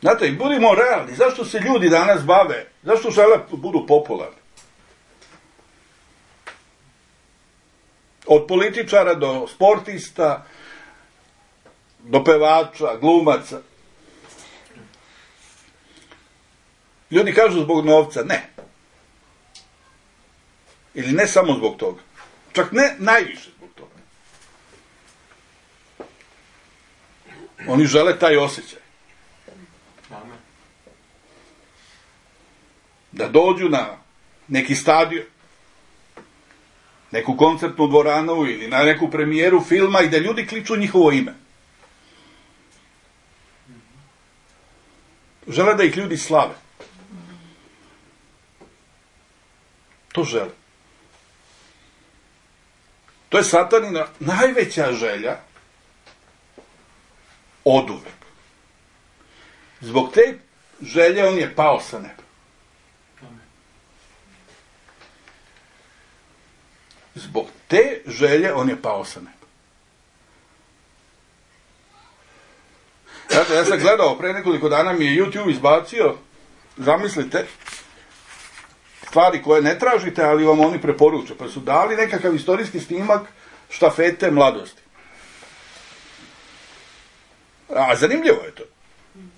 Znate, budimo realni, zašto se ljudi danas bave, zašto žele budu popularni? Od političara do sportista, do pevača, glumaca. Ljudi kažu zbog novca, ne. Ili ne samo zbog toga. Čak ne najviše zbog toga. Oni žele taj osjećaj. Da dođu na neki stadion, neku koncertnu dvoranu ili na neku premijeru filma i da ljudi kliču njihovo ime. Žele da ih ljudi slave. To žele. To je Satanina najveća želja oduvek. Zbog te želje on je pao sa neba. Zbog te želje on je pao sa neba. Znate, ja sam gledao, pre nekoliko dana mi je YouTube izbacio, zamislite, stvari koje ne tražite, ali vam oni preporuče. Pa su dali nekakav istorijski snimak štafete mladosti. A zanimljivo je to.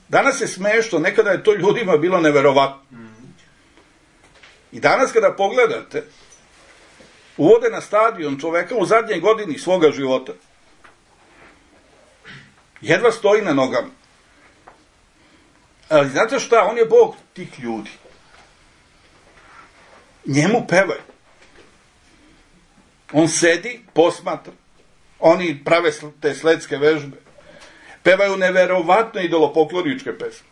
Danas je smešno, nekada je to ljudima bilo neverovatno. I danas kada pogledate, uvode na stadion čoveka u zadnjoj godini svoga života. Jedva stoji na nogama. Ali znate šta? On je Bog tih ljudi. Njemu pevaju. On sedi, posmatra. Oni prave te sledske vežbe. Pevaju neverovatno idolopokloničke pesme.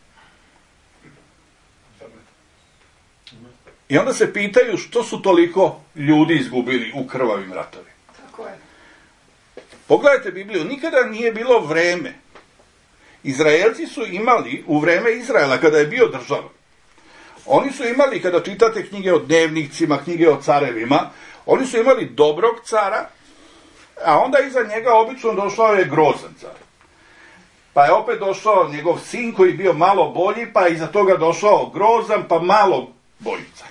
I onda se pitaju što su toliko ljudi izgubili u krvavim ratovima. Tako je. Pogledajte Bibliju, nikada nije bilo vreme. Izraelci su imali u vreme Izraela, kada je bio država, oni su imali, kada čitate knjige o dnevnicima, knjige o carevima, oni su imali dobrog cara, a onda iza njega obično došao je grozan car. Pa je opet došao njegov sin koji bio malo bolji, pa je iza toga došao grozan, pa malo bolji car.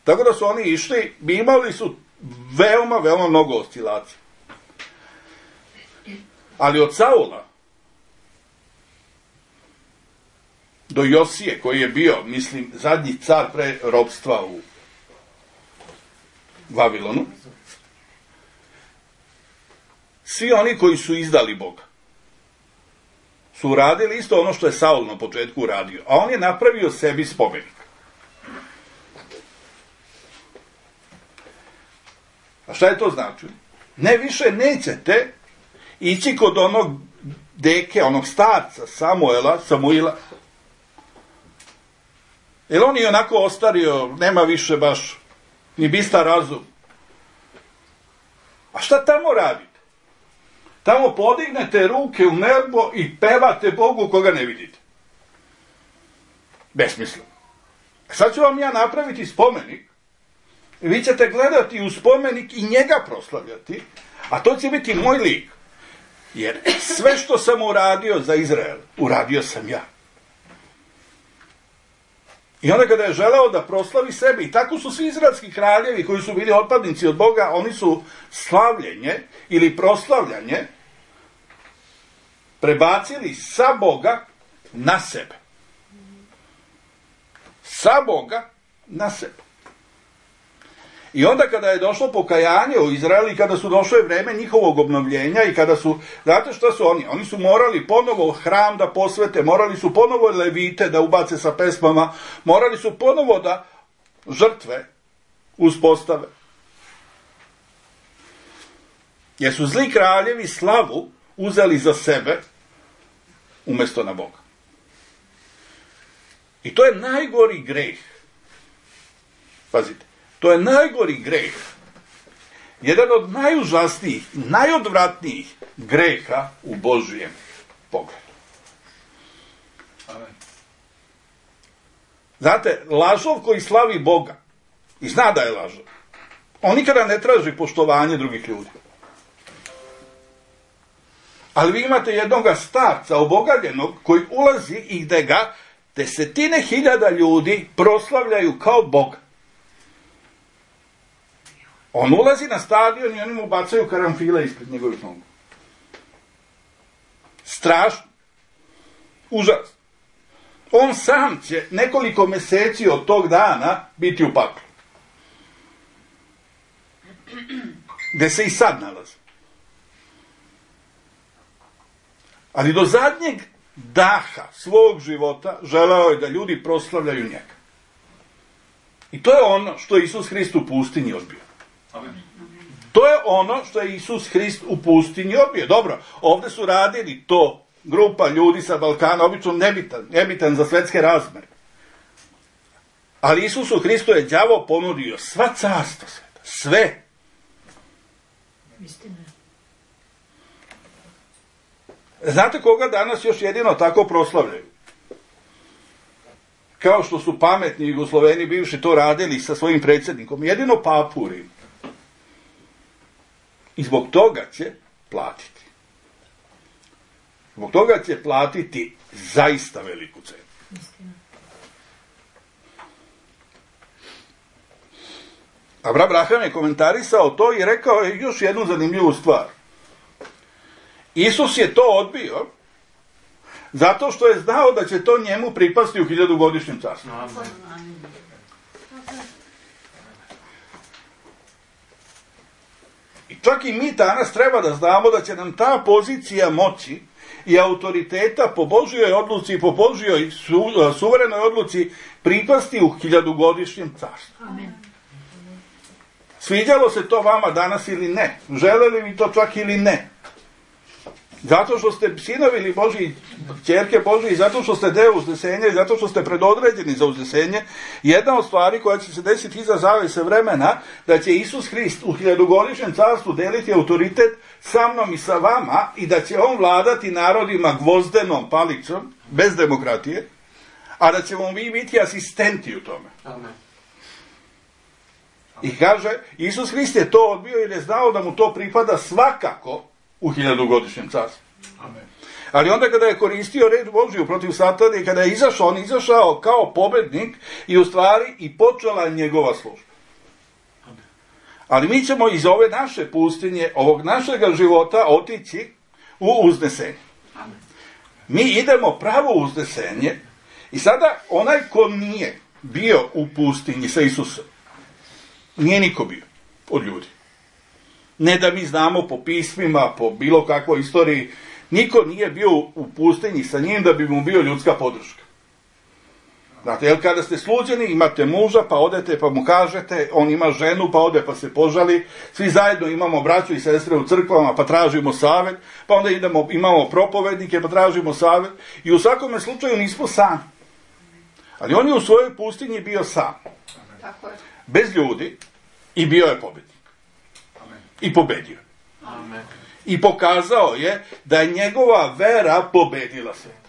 Tako da su oni išli, imali su veoma, veoma mnogo oscilacija. Ali od Saula do Josije, koji je bio, mislim, zadnji car pre ropstva u Vavilonu, svi oni koji su izdali Boga su uradili isto ono što je Saul na početku uradio, a on je napravio sebi spomenik. A šta je to značilo? Ne, više nećete ići kod onog deke, onog starca Samuela, Samuila, jer on je onako ostario, nema više baš ni bistar razum. A šta tamo radite? Tamo podignete ruke u nebo i pevate Bogu koga ne vidite. Besmisleno. Sad ću vam ja napraviti spomenik, vi ćete gledati u spomenik i njega proslavljati, a to će biti moj lik. Jer sve što sam uradio za Izrael, uradio sam ja. I onda kada je želeo da proslavi sebe, i tako su svi izraelski kraljevi koji su bili otpadnici od Boga, oni su slavljenje ili proslavljanje prebacili sa Boga na sebe. Sa Boga na sebe. I onda kada je došlo pokajanje u Izraelu i kada su došlo vreme njihovog obnovljenja i kada su, znate šta su oni? Oni su morali ponovo hram da posvete, morali su ponovo levite da ubace sa pesmama, morali su ponovo da žrtve uspostave. Jer su zli kraljevi slavu uzeli za sebe umjesto na Boga. I to je najgori greh. Pazite, to je najgori greh. Jedan od najužasnijih, najodvratnijih greha u Božijem pogledu. Amen. Znate, lažov koji slavi Boga i zna da je lažov, on nikada ne traži poštovanje drugih ljudi. Ali vi imate jednoga starca obogaljenog koji ulazi i gde ga desetine hiljada ljudi proslavljaju kao Boga. On ulazi na stadion i oni mu bacaju karanfile ispred njegovih nogu. Strašno. Užas. On sam će nekoliko meseci od tog dana biti u paklu. Gde se i sad nalazi. Ali do zadnjeg daha svog života želeo je da ljudi proslavljaju njega. I to je ono što je Isus Hrist u pustinji odbio. Amen. To je ono što je Isus Hrist u pustinji odbio. Dobro, ovdje su radili to grupa ljudi sa Balkana, obično nebitan, nebitan za svetske razmere. Ali Isusu Hristu je đavo ponudio sva carstva sveta, sve. Istina. Znate koga danas još jedino tako proslavljaju? Kao što su pametni Jugosloveni bivši to radili sa svojim predsjednikom. Jedino papu u Rimu. I zbog toga će platiti. Zbog toga će platiti zaista veliku cenu. Istina. Abraham je komentarisao to i rekao je još jednu zanimljivu stvar. Isus je to odbio zato što je znao da će to njemu pripasti u hiljadugodišnjem carstvu. I čak i mi danas treba da znamo da će nam ta pozicija moći i autoriteta po Božjoj odluci i po Božjoj su, suverenoj odluci pripasti u hiljadugodišnjem carstvu. Amen. Sviđalo se to vama danas ili ne? Želeli vi to čak ili ne? Zato što ste sinovi ili Božji, ćerke Božji, zato što ste deo uznesenja i zato što ste predodređeni za uznesenje, jedna od stvari koja će se desiti iza zavese vremena, da će Isus Hrist u hiljadugodišnjem carstvu deliti autoritet sa mnom i sa vama i da će on vladati narodima gvozdenom palicom, bez demokratije, a da ćemo mi biti asistenti u tome. Amen. I kaže, Isus Hrist je to odbio jer je znao da mu to pripada svakako u hiljadugodišnjem carstvu. Amen. Ali onda kada je koristio reč Božju protiv Satana i kada je izašao, on izašao kao pobednik i u stvari i počela njegova služba. Amen. Ali mi ćemo iz ove naše pustinje, ovog našega života otići u uznesenje. Amen. Mi idemo pravo u uznesenje i sada onaj ko nije bio u pustinji sa Isusom, nije niko bio od ljudi. Ne da mi znamo po pismima, po bilo kakvoj istoriji, niko nije bio u pustinji sa njim da bi mu bio ljudska podrška. Znate, jer kada ste sluđeni, imate muža, pa odete, pa mu kažete, on ima ženu, pa ode, pa se požali, svi zajedno imamo braću i sestre u crkvama, pa tražimo savjet, pa onda idemo, imamo propovednike, pa tražimo savjet, i u svakome slučaju nismo sami. Ali on je u svojoj pustinji bio sam. Tako je. Bez ljudi, i bio je pobednik. I pobedio. Amen. I pokazao je da je njegova vera pobedila svet.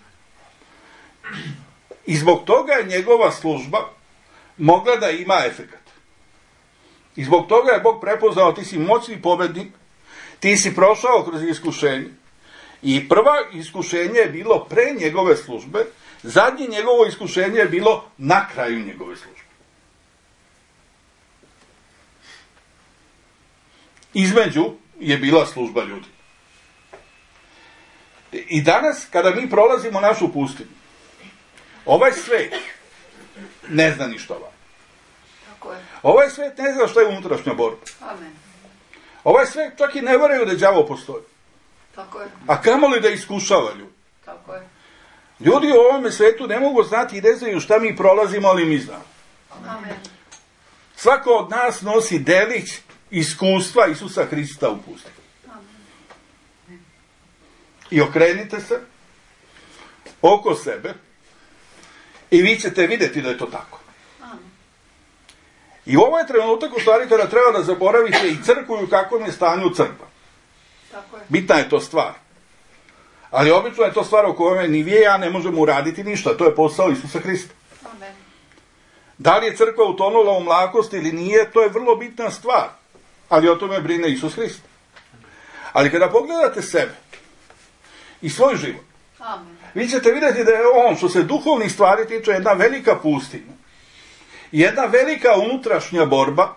I zbog toga je njegova služba mogla da ima efekat. I zbog toga je Bog prepoznao, ti si moćni pobednik, ti si prošao kroz iskušenje. I prva iskušenje je bilo pre njegove službe, zadnje njegovo iskušenje je bilo na kraju njegove službe. Između je bila služba ljudi. I danas, kada mi prolazimo našu pustinju, ovaj svet ne zna ništa ovako. Tako je. Ovaj svet ne zna što je unutrašnja borba. Amen. Ovaj svet čak i ne veraju da đavo postoji. Tako je. A kamoli da iskušava ljudi. Tako je. Ljudi u ovome svetu ne mogu znati i ne znaju šta mi prolazimo, ali mi znamo. Amen. Svako od nas nosi delić iskustva Isusa Hrista u pustinji. Amen. I okrenite se oko sebe i vi ćete vidjeti da je to tako. Amen. I ovo je trenutak u stvari kada treba da zaboravite i crkvu i u kakvom je stanju crkva. Tako je. Bitna je to stvar. Ali obično je to stvar o kojoj ni vi i ja ne možemo uraditi ništa. To je posao Isusa Hrista. Amen. Da li je crkva utonula u mlakost ili nije, to je vrlo bitna stvar. Ali o tome brine Isus Hrist. Ali kada pogledate sebe i svoj život, Amen. vi ćete vidjeti da je on, što se duhovnih stvari tiče, jedna velika pustinja. Jedna velika unutrašnja borba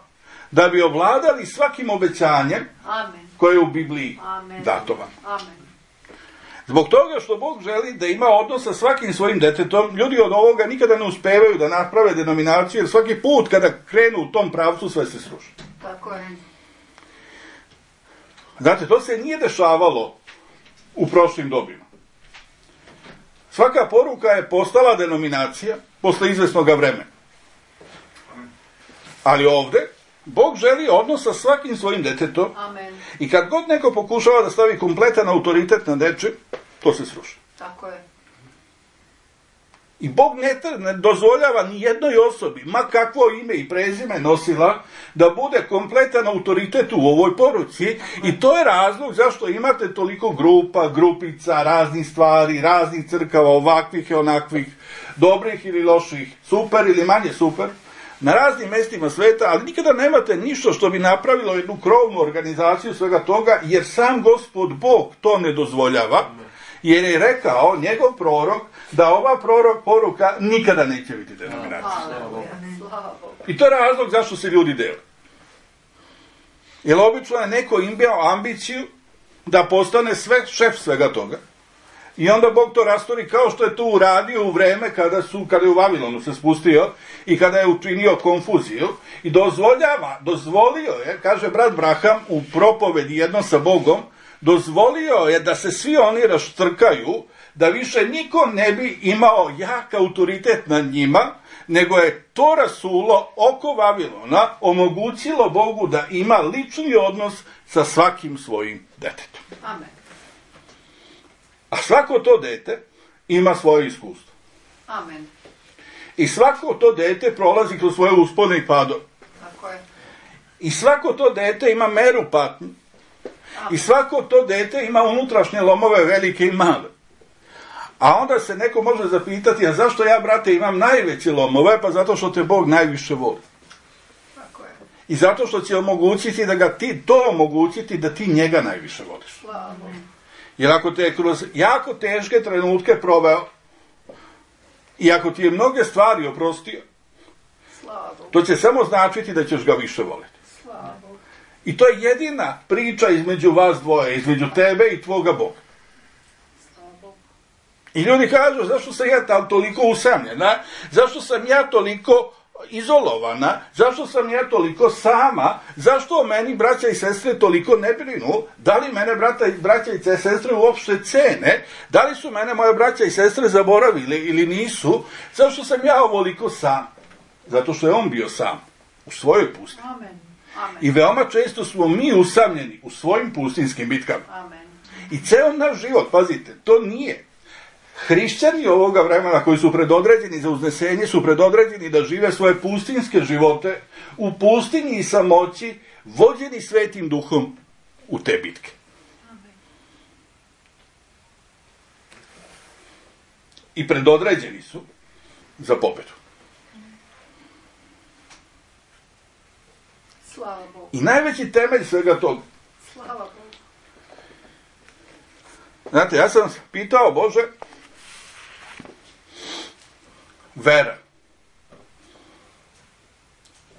da bi ovladali svakim obećanjem Amen. koje je u Bibliji Amen. datovan. Amen. Zbog toga što Bog želi da ima odnos sa svakim svojim detetom, ljudi od ovoga nikada ne uspevaju da naprave denominaciju, jer svaki put kada krenu u tom pravcu sve se sruši. Tako je. Znate, to se nije dešavalo u prošlim dobima. Svaka poruka je postala denominacija posle izvesnog vremena. Ali ovde Bog želi odnos sa svakim svojim detetom. Amen. I kad god neko pokušava da stavi kompletan autoritet na nečim, to se sruši. Tako je. I Bog ne, ne dozvoljava ni jednoj osobi, ma kakvo ime i prezime nosila, da bude kompletan autoritet u ovoj poruci. I to je razlog zašto imate toliko grupa, grupica, raznih stvari, raznih crkava, ovakvih i onakvih, dobrih ili loših, super ili manje super, na raznim mestima sveta, ali nikada nemate ništa što bi napravilo jednu krovnu organizaciju svega toga, jer sam Gospod Bog to ne dozvoljava, jer je rekao njegov prorok da ova prorok poruka nikada neće biti denominacija. Haleluja. Slava Bogu. I to je razlog zašto se ljudi dele. Jer obično je neko imao ambiciju da postane sve, šef svega toga. I onda Bog to rastori kao što je to uradio u vreme kada, su, kada je u Vavilonu se spustio i kada je učinio konfuziju i dozvoljava, dozvolio je, kaže brat Braham u propovedi jedno sa Bogom, dozvolio je da se svi oni raštrkaju, da više niko ne bi imao jak autoritet nad njima, nego je to rasulo oko Vavilona omogućilo Bogu da ima lični odnos sa svakim svojim detetom. Amen. A svako to dete ima svoje iskustvo. Amen. I svako to dete prolazi kroz svoje uspone i padove. Tako je. I svako to dete ima meru patnje. I svako to dete ima unutrašnje lomove velike i male. A onda se neko može zapitati, a zašto ja, brate, imam najveće lomove? Pa zato što te Bog najviše voli. Tako je. I zato što će omogućiti da ga ti, to omogućiti da ti njega najviše voliš. Slava Bogu. Jer ako te je kroz jako teške trenutke proveo i ako ti je mnoge stvari oprostio, Slava Bogu. to će samo značiti da ćeš ga više voliti. Slava Bogu. I to je jedina priča između vas dvoje, između tebe i tvoga Boga. Slava Bogu. I ljudi kažu, zašto sam ja tam toliko usamljena, zašto sam ja toliko izolovana, zašto sam ja toliko sama, zašto o meni braća i sestre toliko ne brinu, da li mene brata, braća i sestre uopšte cene, da li su mene moje braća i sestre zaboravili ili nisu, zašto sam ja ovoliko sam? Zato što je on bio sam u svojoj pustinji. Amen. Amen. I veoma često smo mi usamljeni u svojim pustinskim bitkama. Amen. I ceo naš život, pazite, to nije. Hrišćani ovoga vremena koji su predodređeni za uznesenje su predodređeni da žive svoje pustinske živote u pustinji i samoći, vođeni Svetim Duhom u te bitke. Amen. I predodređeni su za pobedu. Slava Bogu. I najveći temelj svega toga. Slava Bogu. Znate, ja sam pitao, Bože, vera.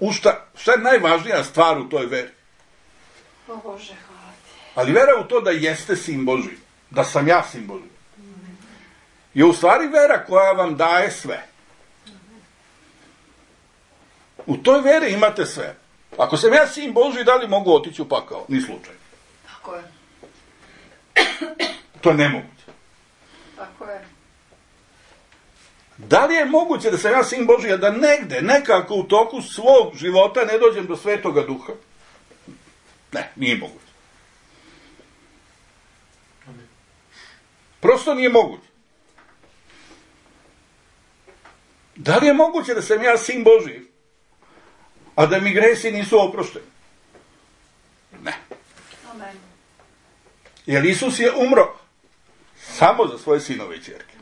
U šta, šta je najvažnija stvar u toj veri? O Bože, hvala ti. Ali vera u to da jeste sin Božji. da sam ja sin Božji, je u stvari vera koja vam daje sve. U toj veri imate sve. Ako sam ja sin Božji, da li mogu otići u pakao? Ni slučaj. Tako je. To je nemoguće. Tako je. Da li je moguće da sam ja sin Božji, a da negde, nekako u toku svog života ne dođem do Svetoga Duha? Ne, nije moguće. Prosto nije moguće. Da li je moguće da sam ja sin Božji, a da mi gresi nisu oprošteni? Ne. Amen. Jer Isus je umro samo za svoje sinove i ćerke.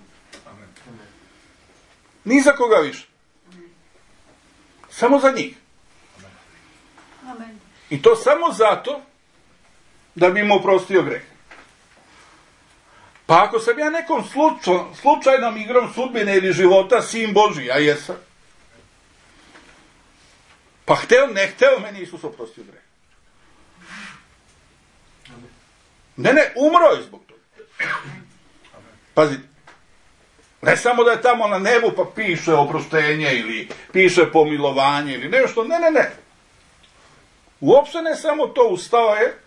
Ni za koga više. Samo za njih. Amen. I to samo zato da bi mu oprostio greh. Pa ako sam ja nekom slučaj, slučajnom igrom sudbine ili života sin Božji, a jesam, pa hteo, ne hteo, meni Isus oprostio greh. Ne, ne, umro je zbog toga. Pazite, ne samo da je tamo na nebu pa piše oproštenje ili piše pomilovanje ili nešto, ne, ne, ne. Uopšte ne samo to, ustao je,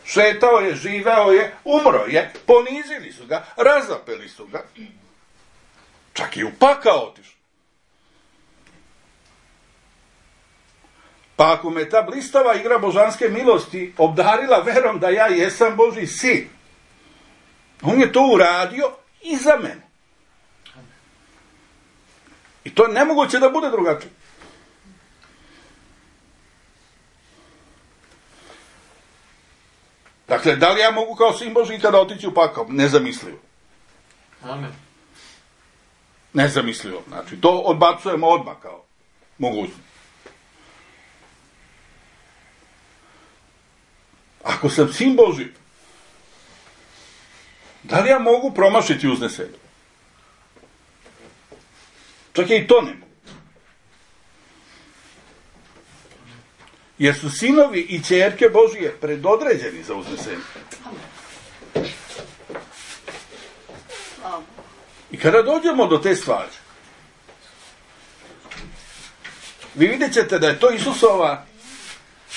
šetao je, živeo je, umro je, ponizili su ga, razapeli su ga, čak i u pakao otišao. Pa ako me ta blistava igra božanske milosti obdarila verom da ja jesam Božji sin, on je to uradio i za mene. I to je nemoguće da bude drugačije. Dakle, da li ja mogu kao sin Božji kada otići u pakao? Nezamislivo. Amen. Nezamislivo. Znači, to odbacujemo odmah kao mogućnost. Ako sam sin Božji, da li ja mogu promašiti uznesenje? Čak i to ne mogu. Jer su sinovi i ćerke Božije predodređeni za uznesenje. I kada dođemo do te stvari, vi vidjet ćete da je to Isusova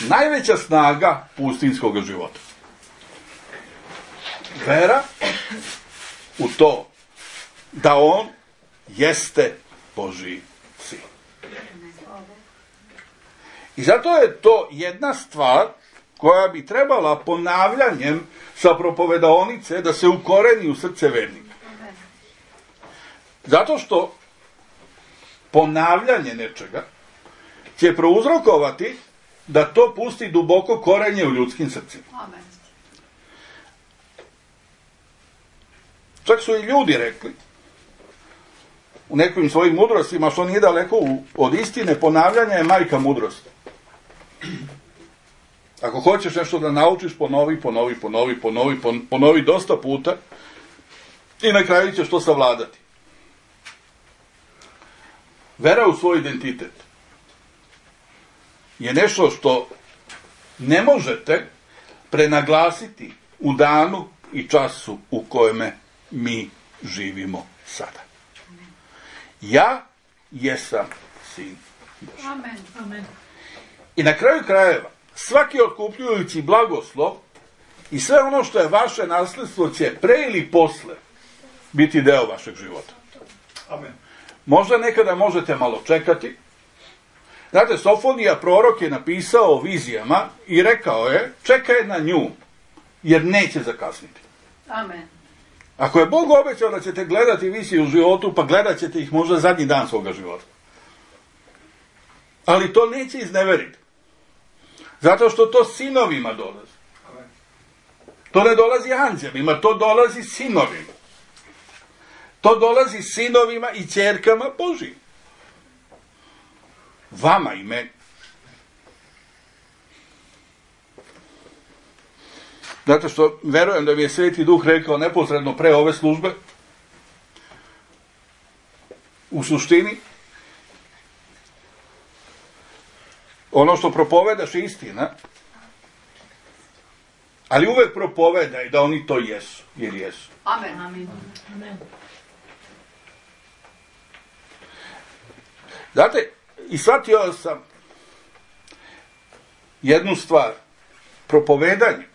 najveća snaga pustinskog života. Vera u to da on jeste Božji sin. I zato je to jedna stvar koja bi trebala ponavljanjem sa propovedaonice da se ukoreni u srce vernika. Zato što ponavljanje nečega će prouzrokovati da to pusti duboko korenje u ljudskim srcima. Amen. Čak su i ljudi rekli u nekim svojim mudrostima, što nije daleko od istine, ponavljanje je majka mudrosti. Ako hoćeš nešto da naučiš, ponovi, ponovi, ponovi, ponovi, ponovi dosta puta i na kraju ćeš to savladati. Vera u svoj identitet je nešto što ne možete prenaglasiti u danu i času u kojeme mi živimo sada. Ja jesam sin Božji. Amen. Amen. I na kraju krajeva, svaki otkupljujući blagoslov i sve ono što je vaše nasledstvo će pre ili posle biti deo vašeg života. Amen. Možda nekada možete malo čekati. Znate, Sofonija prorok je napisao o vizijama i rekao je, čekaj na nju, jer neće zakasniti. Amen. Ako je Bog obećao da ćete gledati vizije u životu, pa gledat ćete ih možda zadnji dan svoga života. Ali to neće izneveriti. Zato što to sinovima dolazi. To ne dolazi anđelima, to dolazi sinovima. To dolazi sinovima i ćerkama Božijim. Vama i meni. Zato što verujem da mi je Sveti Duh rekao neposredno pre ove službe, u suštini, ono što propovedaš je istina, Ali uvek propovedaj da oni to jesu, jer jesu. Amen. Amen. Znate, i shvatio sam jednu stvar. Propovedanje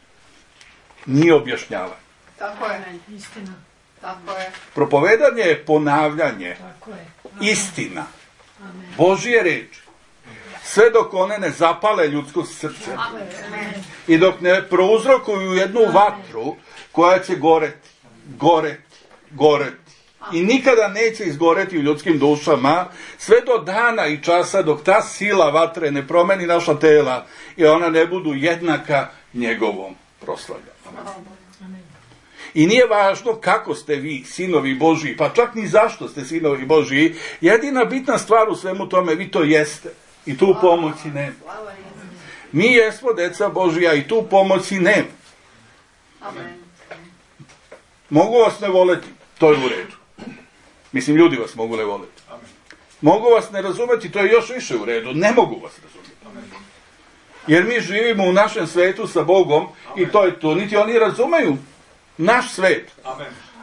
nije objašnjavanje. Tako je. Istina. Tako je. Propovedanje je ponavljanje. Tako je. Istina. Amen. Božje reči. Sve dok one ne zapale ljudsko srce. Amen. I dok ne prouzrokuju jednu vatru koja će goreti, goreti, goreti. I nikada neće izgoreti u ljudskim dušama, sve do dana i časa dok ta sila vatre ne promeni naša tela i ona ne budu jednaka njegovom proslavljanju. I nije važno kako ste vi sinovi Božji, pa čak ni zašto ste sinovi Božji, jedina bitna stvar u svemu tome, vi to jeste. I tu pomoći nema. Mi jesmo deca Božja i tu pomoći nema. Mogu vas ne voleti, to je u redu. Mislim, ljudi vas mogu ne voleti. Mogu vas ne razumeti, to je još više u redu. Ne mogu vas razumeti. Jer mi živimo u našem svetu sa Bogom i to je to. Niti oni razumeju naš svet.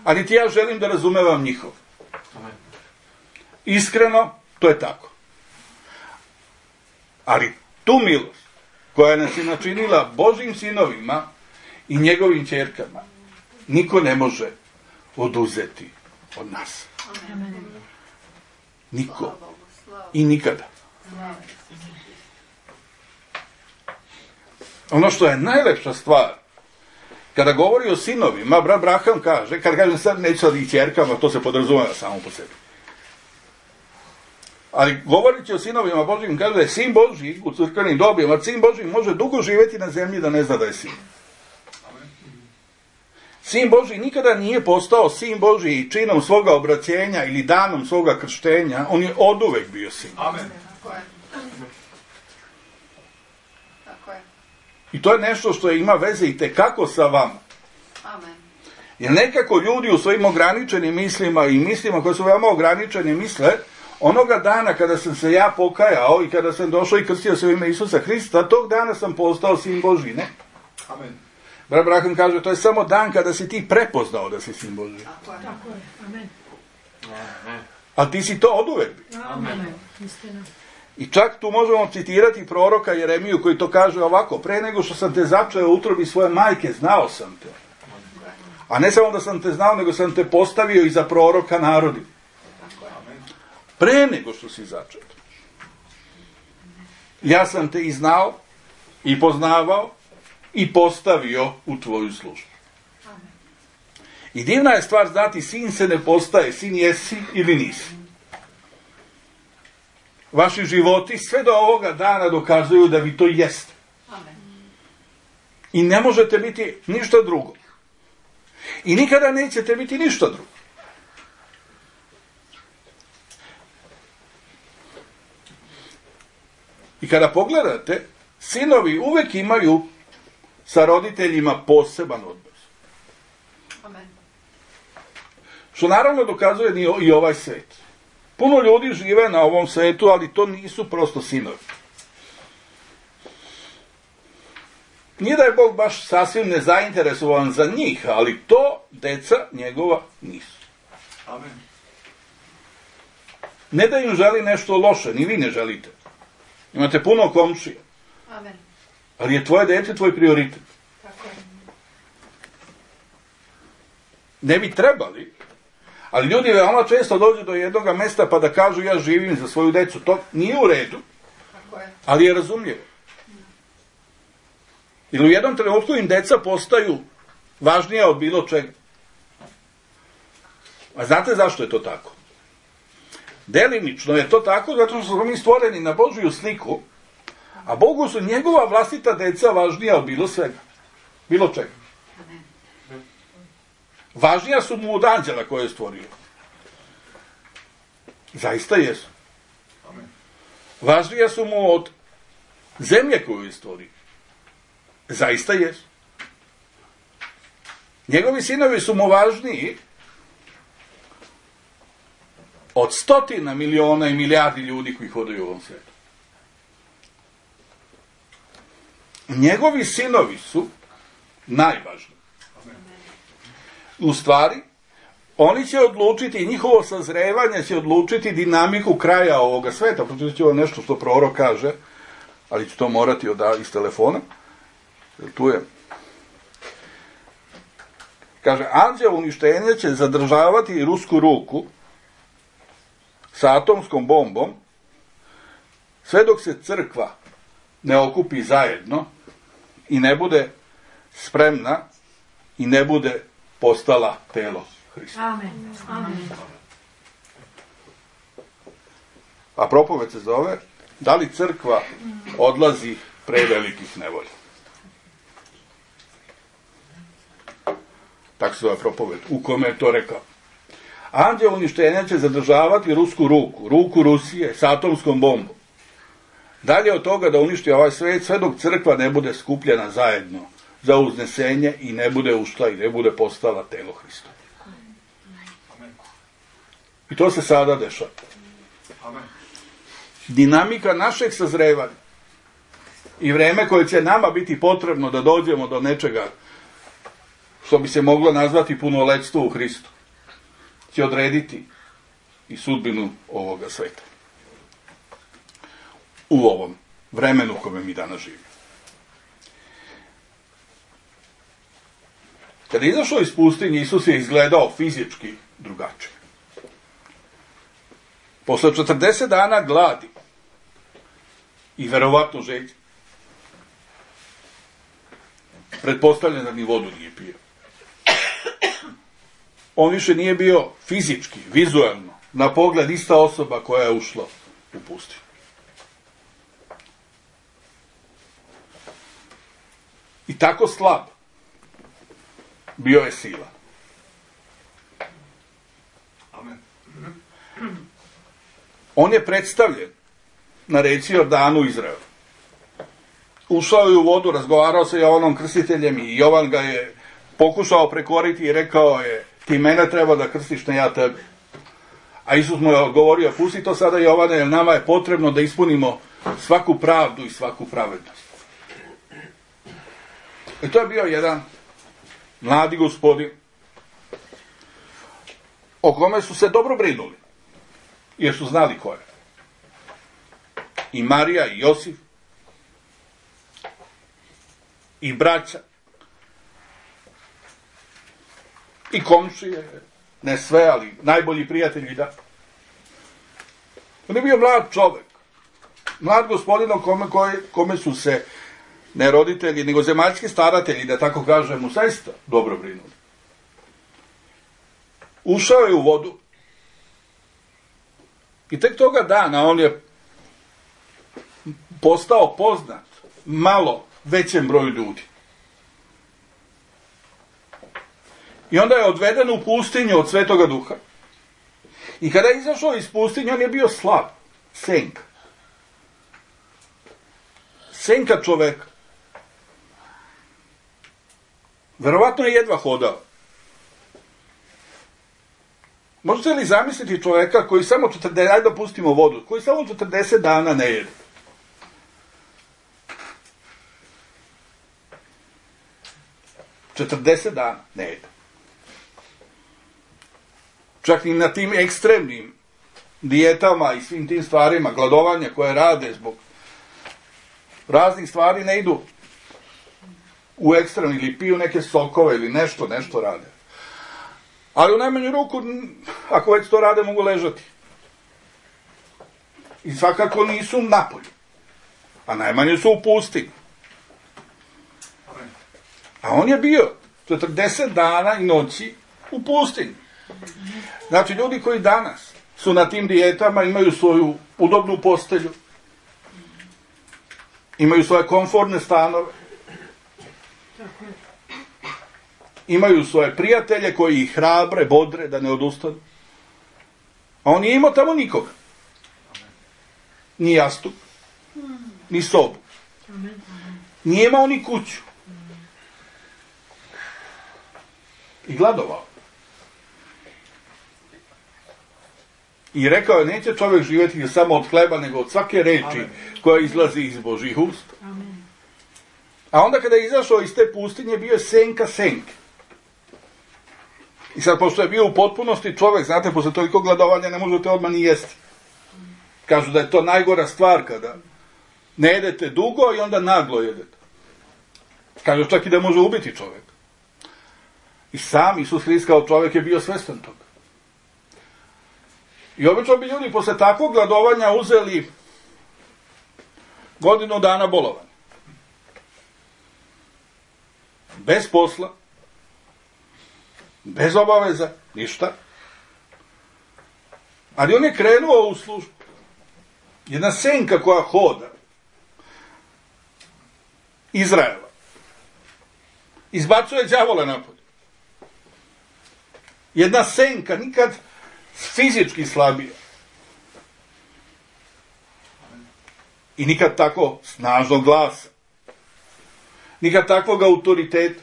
A niti ja želim da razumevam njihov. Iskreno, to je tako. Ali tu milost koja nas je načinila Božjim sinovima i njegovim ćerkama, niko ne može oduzeti od nas. Niko. I nikada. Ono što je najlepša stvar, kada govori o sinovima, brat Braham kaže, kad kažem sad neću sad i ćerkama, to se podrazumeva samo po sebi. Ali govorit će o sinovima Božjim, kaže da je sin Božji u crkvenim dobima, sin Božji može dugo živjeti na zemlji da ne zna da je sin. Sin Božji nikada nije postao sin Božji činom svoga obraćenja ili danom svoga krštenja, on je oduvek bio sin. Amen. I to je nešto što ima veze i tekako sa vama. Amen. Jer nekako ljudi u svojim ograničenim mislima i mislima koje su veoma ograničene misle, onoga dana kada sam se ja pokajao i kada sam došao i krstio se u ime Isusa Hrista, tog dana sam postao sin Božji, ne? Amen. Brat Braham kaže, to je samo dan kada si ti prepoznao da si sin Božji. Tako je. Tako je. Amen. Ali ti si to oduvek bio. Amen. Istina. I čak tu možemo citirati proroka Jeremiju koji to kaže ovako, pre nego što sam te začeo u utrobi svoje majke, znao sam te. A ne samo da sam te znao, nego sam te postavio i za proroka narodi. Pre nego što si začet. Ja sam te i znao, i poznavao, i postavio u tvoju službu. I divna je stvar znati, sin se ne postaje, sin jesi ili nisi. Vaši životi sve do ovoga dana dokazuju da vi to jeste. Amen. I ne možete biti ništa drugo. I nikada nećete biti ništa drugo. I kada pogledate, sinovi uvek imaju sa roditeljima poseban odnos. Amen. Što naravno dokazuje i ovaj svet. Puno ljudi žive na ovom svetu, ali to nisu prosto sinovi. Nije da je Bog baš sasvim nezainteresovan za njih, ali to deca njegova nisu. Amen. Ne da im želi nešto loše, ni vi ne želite. Imate puno komšija. Amen. Ali je tvoje dete tvoj prioritet. Tako je. Ne bi trebali, ali ljudi veoma često dođu do jednog mesta pa da kažu ja živim za svoju decu. To nije u redu, Tako je. ali je razumljivo. Ili u jednom trenutku im deca postaju važnija od bilo čega. A znate zašto je to tako? Delimično je to tako zato što smo mi stvoreni na Božju sliku, a Bogu su njegova vlastita deca važnija od bilo svega. Bilo čega. Važnija su mu od anđela koje je stvorio. Zaista jesu. Važnija su mu od zemlje koju je stvorio. Zaista jesu. Njegovi sinovi su mu važniji od stotina miliona i milijardi ljudi koji hodaju u ovom svijetu. Njegovi sinovi su Najvažnije. U stvari, oni će odlučiti, njihovo sazrevanje će odlučiti dinamiku kraja ovoga sveta. Pročit ću ovo nešto što prorok kaže, ali ću to morati od, iz telefona. Jer tu je. Kaže, anđeo uništenja će zadržavati rusku ruku sa atomskom bombom sve dok se crkva ne okupi zajedno i ne bude spremna i ne bude postala telo Hrista. Amen. Amen. A propoved se zove da li crkva odlazi pre velikih nevolja. Tako se zove propoved, u kome je to rekao. Anđeo uništenja će zadržavati rusku ruku, ruku Rusije sa atomskom bombom. Dalje od toga da uništi ovaj svet, sve dok crkva ne bude skupljena zajedno za uznesenje i ne bude ušla i ne bude postala telo Hrista. I to se sada dešava. Dinamika našeg sazrevanja i vreme koje će nama biti potrebno da dođemo do nečega što bi se moglo nazvati punoletstvo u Hristu, će odrediti i sudbinu ovoga sveta. U ovom vremenu u kojem mi danas živimo. Kada je izašao iz pustinje, Isus je izgledao fizički drugačije. Posle četrdeset dana gladi i verovatno žeđe, pretpostavljam da ni vodu nije pio. On više nije bio fizički, vizualno, na pogled ista osoba koja je ušla u pustinju. I tako slab bio je sila. Amen. On je predstavljen na reci Jordanu Izraelu. Ušao je u vodu, razgovarao sa Jovanom Krstiteljem i Jovan ga je pokušao prekoriti i rekao je, ti mene treba da krstiš, ne ja tebe. A Isus mu je odgovorio, pusti to sada Jovane, jer nama je potrebno da ispunimo svaku pravdu i svaku pravednost. I to je bio jedan mladi gospodin o kome su se dobro brinuli, jer su znali ko je. I Marija, i Josif, i braća, i komšije, ne sve, ali najbolji prijatelji, da. On je bio mlad čovek, mlad gospodin o kome, kome, kome su se ne roditelji, nego zemaljski staratelji, da tako kažemo, zaista dobro brinuli. Ušao je u vodu i tek toga dana on je postao poznat malo većem broju ljudi. I onda je odveden u pustinju od Svetoga Duha. I kada je izašao iz pustinje, on je bio slab, senka. Senka čoveka. Verovatno je jedva hodao. Možete li zamisliti čoveka koji samo četrdeset, ajde da pustimo vodu, koji samo četrdeset dana ne jede? četrdeset dana ne jede. Čak i na tim ekstremnim dijetama i svim tim stvarima, gladovanja koje rade zbog raznih stvari, ne idu u ekstrem ili piju neke sokove ili nešto, nešto rade. Ali u najmanju ruku, ako već to rade, mogu ležati. I svakako nisu napolju. A najmanje su u pustinji. A on je bio četrdeset dana i noći u pustinji. Znači, ljudi koji danas su na tim dijetama, imaju svoju udobnu postelju, imaju svoje komfortne stanove, imaju svoje prijatelje koji ih hrabre, bodre da ne odustanu. A on nije imao tamo nikoga. Ni jastuk, ni sobu. Nije imao ni kuću. I gladovao. I rekao je, neće čovjek živjeti samo od hleba, nego od svake reči koja izlazi iz Božjih usta. A onda kada je izašao iz te pustinje, bio je senka senke. I sad, pošto je bio u potpunosti čovjek, znate, posle toliko gladovanja ne možete odmah ni jesti. Kažu da je to najgora stvar kada ne jedete dugo i onda naglo jedete. Kažu čak i da može ubiti čovjek. I sam Isus Hrist kao čovjek je bio svestan toga. I obično bi ljudi posle takvog gladovanja uzeli godinu dana bolovanja. Bez posla, bez obaveza, ništa. Ali on je krenuo u službu. Jedna senka koja hoda Izraela izbacuje đavola napolje. Jedna senka, nikad fizički slabija. I nikad tako snažnog glasa. Nikad takvog autoriteta.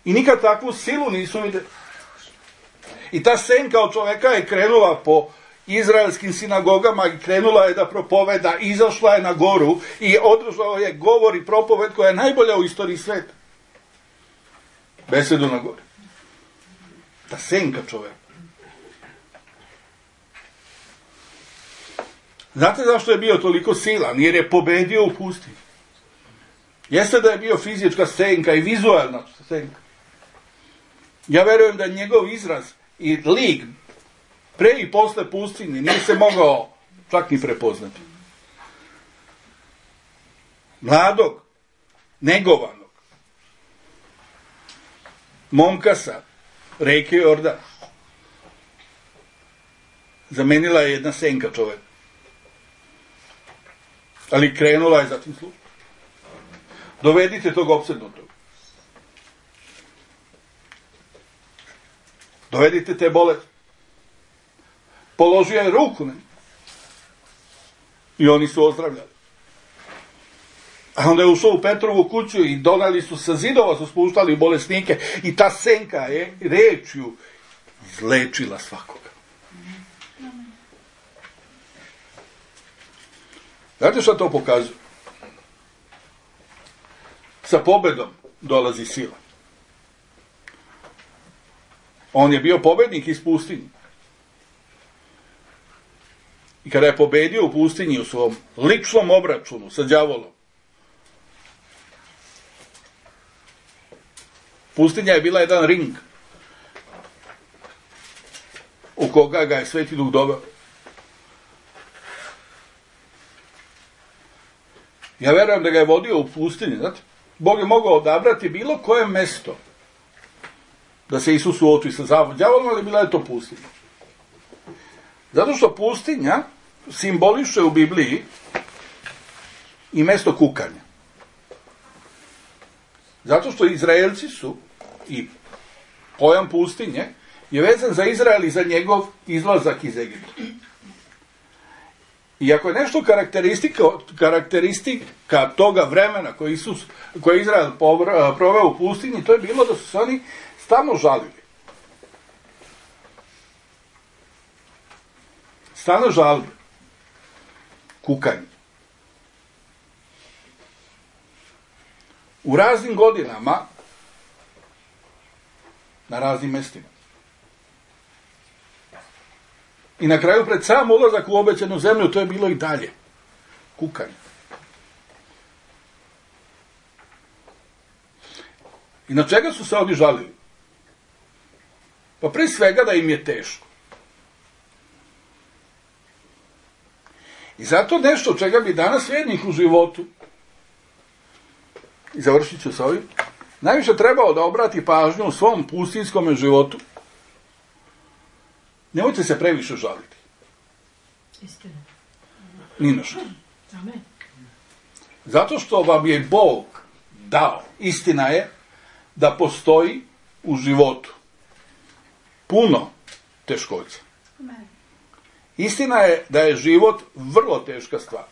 I nikad takvu silu nisu vidjeli. I ta senka od čoveka je krenula po izraelskim sinagogama i krenula je da propoveda, izašla je na goru i održao je govor i propoved koja je najbolja u istoriji sveta. Besedu na gori. Ta senka čoveka. Znate zašto je bio toliko silan? Jer je pobedio u pustinji. Jeste da je bio fizička senka i vizualna senka. Ja verujem da njegov izraz i lik pre i posle pustinje nije se mogao čak ni prepoznati. Mladog, negovanog, momka sa reke Jordan zamenila je jedna senka čoveka. Ali krenula je zatim službu. Dovedite tog opsednutog. Dovedite te bolesti. Položio je ruku na njih. I oni su ozdravljali. A onda je ušao u Petrovu kuću i donali su sa zidova, su spuštali bolesnike i ta senka je rečju izlečila svakoga. Znate šta to pokazuje? Sa pobedom dolazi sila. On je bio pobednik iz pustinje. I kada je pobedio u pustinji u svom ličnom obračunu sa đavolom, pustinja je bila jedan ring u koga ga je Sveti Duh doveo. Ja verujem da ga je vodio u pustinji, znate? Bog je mogao odabrati bilo koje mesto da se Isus suoči sa đavolom, ali bila je to pustinja. Zato što pustinja simboliše u Bibliji i mesto kukanja. Zato što Izraelci su, i pojam pustinje, je vezan za Izrael i za njegov izlazak iz Egipta. I ako je nešto karakteristika, karakteristika toga vremena koje, Isus, koje Izrael proveo u pustinji, to je bilo da su se oni stalno žalili. Stalno žalbe. Kukanje. U raznim godinama, na raznim mestima. I na kraju, pred sam ulazak u obećanu zemlju, to je bilo i dalje. Kukanje. I na čega su se oni žalili? Pa prije svega da im je teško. I zato nešto čega bi danas vjernik u životu, i završit ću s ovim, najviše trebao da obrati pažnju u svom pustinskom životu. Nemojte se previše žaliti. Istina. Ni na što. Amen. Zato što vam je Bog dao. Istina je da postoji u životu puno teškoća. Amen. Istina je da je život vrlo teška stvar.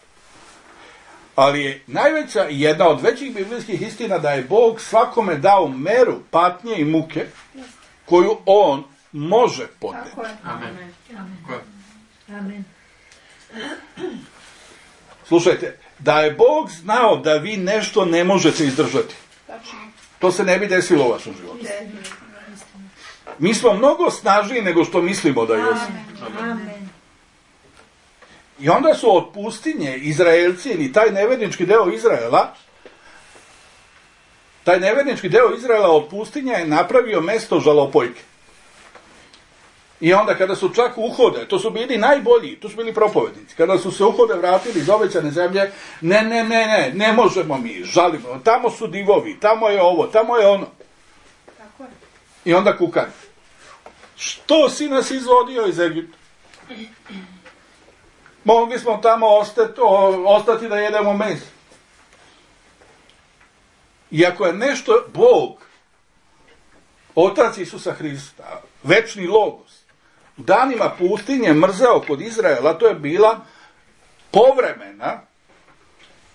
Ali je najveća i jedna od većih biblijskih istina da je Bog svakome dao meru patnje i muke koju on može podneti. Tako je. Amen. Amen. Amen. Slušajte, Da je Bog znao da vi nešto ne možete izdržati, to se ne bi desilo u vašem životu. Mi smo mnogo snažniji nego što mislimo da jesmo. I onda su od pustinje Izraelci ili taj nevernički deo Izraela, taj nevernički deo Izraela od pustinja je napravio mesto žalopojke. I onda kada su čak uhode, to su bili najbolji, to su bili propovednici, kada su se uhode vratili iz obećane zemlje, ne, ne, ne, ne, ne možemo mi, žalimo, tamo su divovi, tamo je ovo, tamo je ono. Tako je. I onda kukaju. Što si nas izvodio iz Egipta? Mogli smo tamo ostati, ostati da jedemo meso. Iako je nešto Bog, Otac Isusa Hrista, večni logos, u danima pustinje mrzeo kod Izraela, to je bila povremena,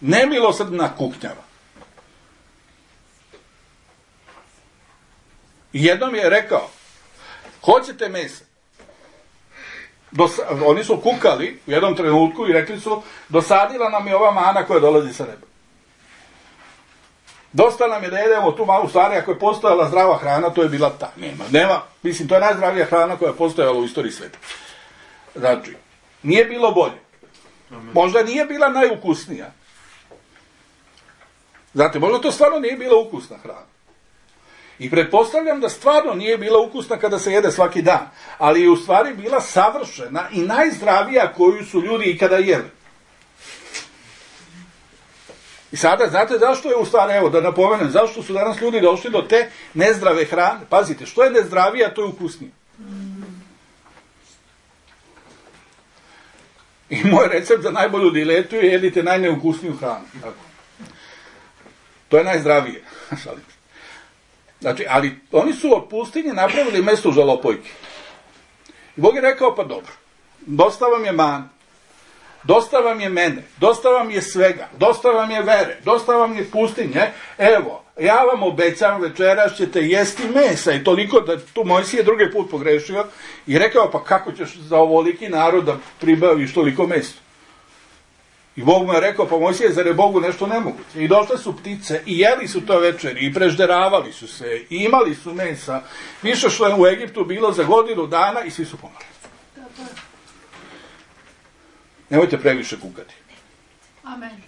nemilosrdna kuknjava. I jednom je rekao, hoćete mesa? Dos, oni su kukali u jednom trenutku i rekli su, dosadila nam je ova mana koja dolazi sa neba. Dosta nam je da jedemo tu malu stvari, ako je postojala zdrava hrana, to je bila ta. Nema, nema, mislim, to je najzdravija hrana koja je postojala u istoriji sveta. Znači, nije bilo bolje. Možda nije bila najukusnija. Znate, možda to stvarno nije bila ukusna hrana. I pretpostavljam da stvarno nije bila ukusna kada se jede svaki dan, ali je u stvari bila savršena i najzdravija koju su ljudi ikada jeli. I sada, znate zašto je u stvari, evo da napomenem, zašto su danas ljudi došli do te nezdrave hrane? Pazite, što je nezdravija, to je ukusnije. I moj recept za najbolju diletu je jedite najneukusniju hranu. Tako. To je najzdravije. Znači, ali oni su od pustinje napravili mesto žalopojke. I Bog je rekao, pa dobro, dosta vam je man, dosta vam je mene, dosta vam je svega, dosta vam je vere, dosta vam je pustinje, evo, ja vam obećam, večeras ćete jesti mesa. I toliko da tu Mojsije drugi put pogrešio i rekao, pa kako ćeš za ovoliki narod da pribaviš toliko mesa? I Bog mu je rekao, pa Mojsije, zar je Bogu nešto nemoguće? I došle su ptice i jeli su to večeri i prežderavali su se i imali su mesa. Više što je u Egiptu bilo za godinu dana i svi su pomrli. Nemojte previše kukati. Amen.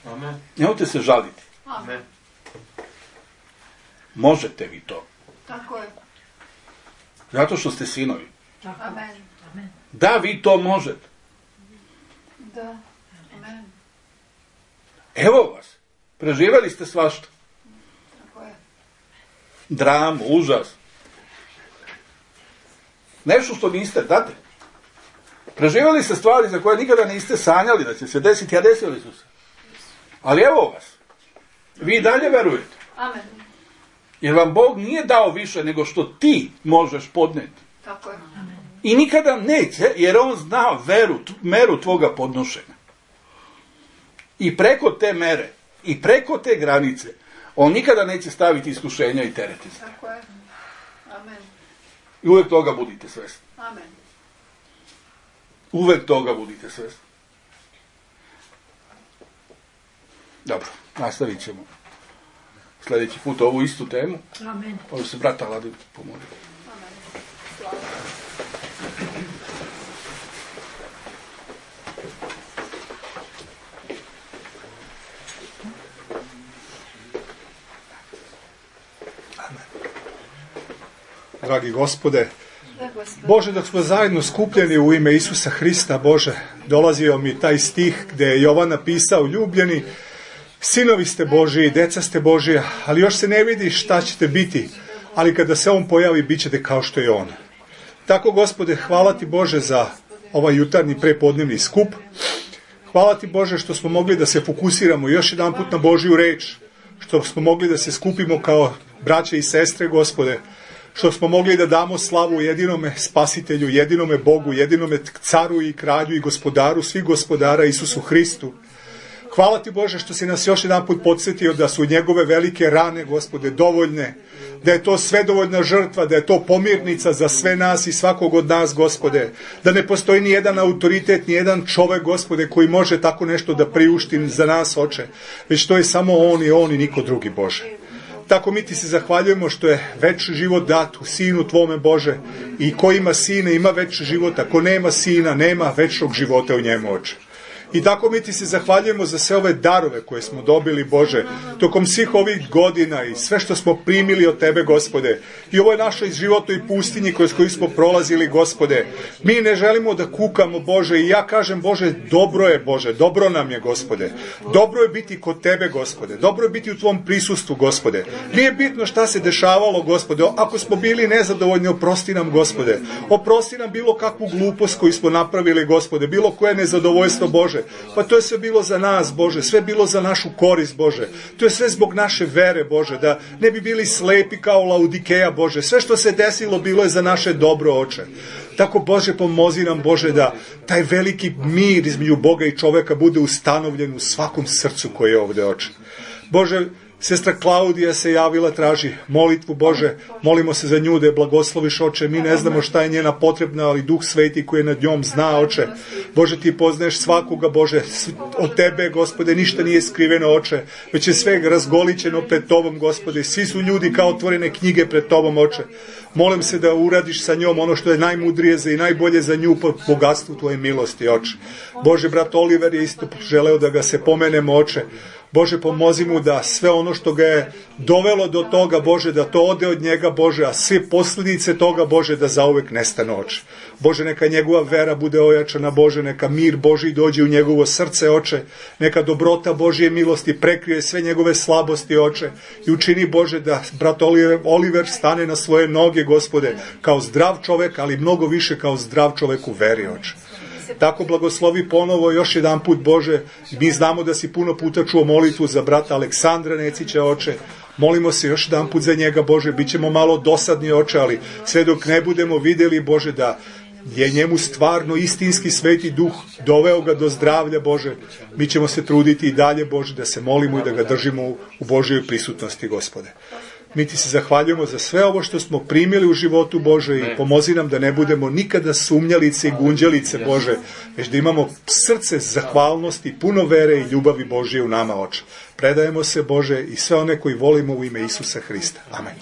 Amen. Nemojte se žaliti. Amen. Možete vi to. Tako je. Zato što ste sinovi. Amen. Amen. Da, vi to možete. Da. Amen. Evo vas. Preživjeli ste svašta. Tako je. Dramu, užas. Nešto što niste, znate. Preživjeli ste stvari za koje nikada niste sanjali da će se desiti, a desili su se. Ali evo vas. Vi i dalje verujete. Amen. Jer vam Bog nije dao više nego što ti možeš podneti. Tako je. Amen. I nikada neće, jer on zna veru, meru tvoga podnošenja. I preko te mere, i preko te granice, on nikada neće staviti iskušenja i tereti. Tako je. Amen. I uvek toga budite svesni. Amen. Uvek toga budite svesni. Dobro, nastavit ćemo sljedeći put ovu istu temu. Amen. Ovo se brata Ladi pomoli. Amen. Slava. Dragi Gospode, Bože, dok smo zajedno skupljeni u ime Isusa Hrista, Bože, dolazio mi taj stih gdje je Jovan napisao, ljubljeni, sinovi ste Božiji, deca ste Božija, ali još se ne vidi šta ćete biti, ali kada se on pojavi, bit ćete kao što je on. Tako, Gospode, hvala ti, Bože, za ovaj jutarnji prepodnevni skup. Hvala ti, Bože, što smo mogli da se fokusiramo još jedan put na Božju reč, što smo mogli da se skupimo kao braće i sestre, Gospode, što smo mogli da damo slavu jedinome spasitelju, jedinome Bogu, jedinome caru i kralju i gospodaru svih gospodara Isusu Hristu. Hvala ti Bože što si nas još jedan put podsjetio da su njegove velike rane, Gospode, dovoljne, da je to sve dovoljna žrtva, da je to pomirnica za sve nas i svakog od nas, Gospode, da ne postoji ni jedan autoritet, ni jedan čovek, Gospode, koji može tako nešto da priušti za nas, Oče, već to je samo on i on i niko drugi, Bože. Tako mi ti se zahvaljujemo što je večni život dat u Sinu Tvome, Bože, i ko ima Sina ima večni život, a ko nema Sina nema večnog života u njemu, Oče. I tako mi ti se zahvaljujemo za sve ove darove koje smo dobili, Bože, tokom svih ovih godina i sve što smo primili od Tebe, Gospode. I ovo je našoj životnoj pustinji kroz koju smo prolazili, Gospode. Mi ne želimo da kukamo, Bože, i ja kažem, Bože, dobro je, Bože, dobro nam je, Gospode. Dobro je biti kod Tebe, Gospode. Dobro je biti u Tvom prisustvu, Gospode. Nije bitno šta se dešavalo, Gospode. Ako smo bili nezadovoljni, oprosti nam, Gospode. Oprosti nam bilo kakvu glupost koju smo napravili, Gospode. Bilo koje nezadovoljstvo, Bože. Pa to je sve bilo za nas, Bože, sve bilo za našu korist, Bože. To je sve zbog naše vere, Bože, da ne bi bili slepi kao Laudikeja, Bože. Sve što se desilo bilo je za naše dobro, Oče. Tako, Bože, pomozi nam, Bože, da taj veliki mir između Boga i čoveka bude ustanovljen u svakom srcu koje je ovde, Oče. Bože, sestra Klaudija se javila, traži molitvu, Bože, molimo se za nju da je blagosloviš, Oče, mi ne znamo šta je njena potrebna, ali Duh Sveti koji je nad njom zna, Oče. Bože, ti poznaješ svakoga, Bože, od Tebe, Gospode, ništa nije skriveno, Oče, već je sve razgolićeno pred Tobom, Gospode, svi su ljudi kao otvorene knjige pred Tobom, Oče. Molim se da uradiš sa njom ono što je najmudrije za i najbolje za nju po bogatstvu Tvoje milosti, Oče. Bože, brat Oliver je isto želeo da ga se pomenemo, Oče. Bože, pomozi mu da sve ono što ga je dovelo do toga, Bože, da to ode od njega, Bože, a sve posljedice toga, Bože, da zauvek nestane, Oče. Bože, neka njegova vera bude ojačana, Bože, neka mir Božji dođe u njegovo srce, Oče, neka dobrota Božje milosti prekrije sve njegove slabosti, Oče, i učini, Bože, da brat Oliver stane na svoje noge, Gospode, kao zdrav čovek, ali mnogo više kao zdrav čovek u veri, Oče. Tako blagoslovi ponovo još jedan put, Bože. Mi znamo da si puno puta čuo molitvu za brata Aleksandra Necića, Oče. Molimo se još jedan put za njega, Bože. Bićemo malo dosadni, Oče, ali sve dok ne budemo vidjeli, Bože, da je njemu stvarno istinski Sveti Duh doveo ga do zdravlja, Bože. Mi ćemo se truditi i dalje, Bože, da se molimo i da ga držimo u Božjoj prisutnosti, Gospode. Mi ti se zahvaljujemo za sve ovo što smo primili u životu, Bože, i pomozi nam da ne budemo nikada sumnjalice i gunđalice, Bože, već da imamo srce zahvalnosti, puno vere i ljubavi Božje u nama, Oče. Predajemo se, Bože, i sve one koji volimo u ime Isusa Hrista. Amen.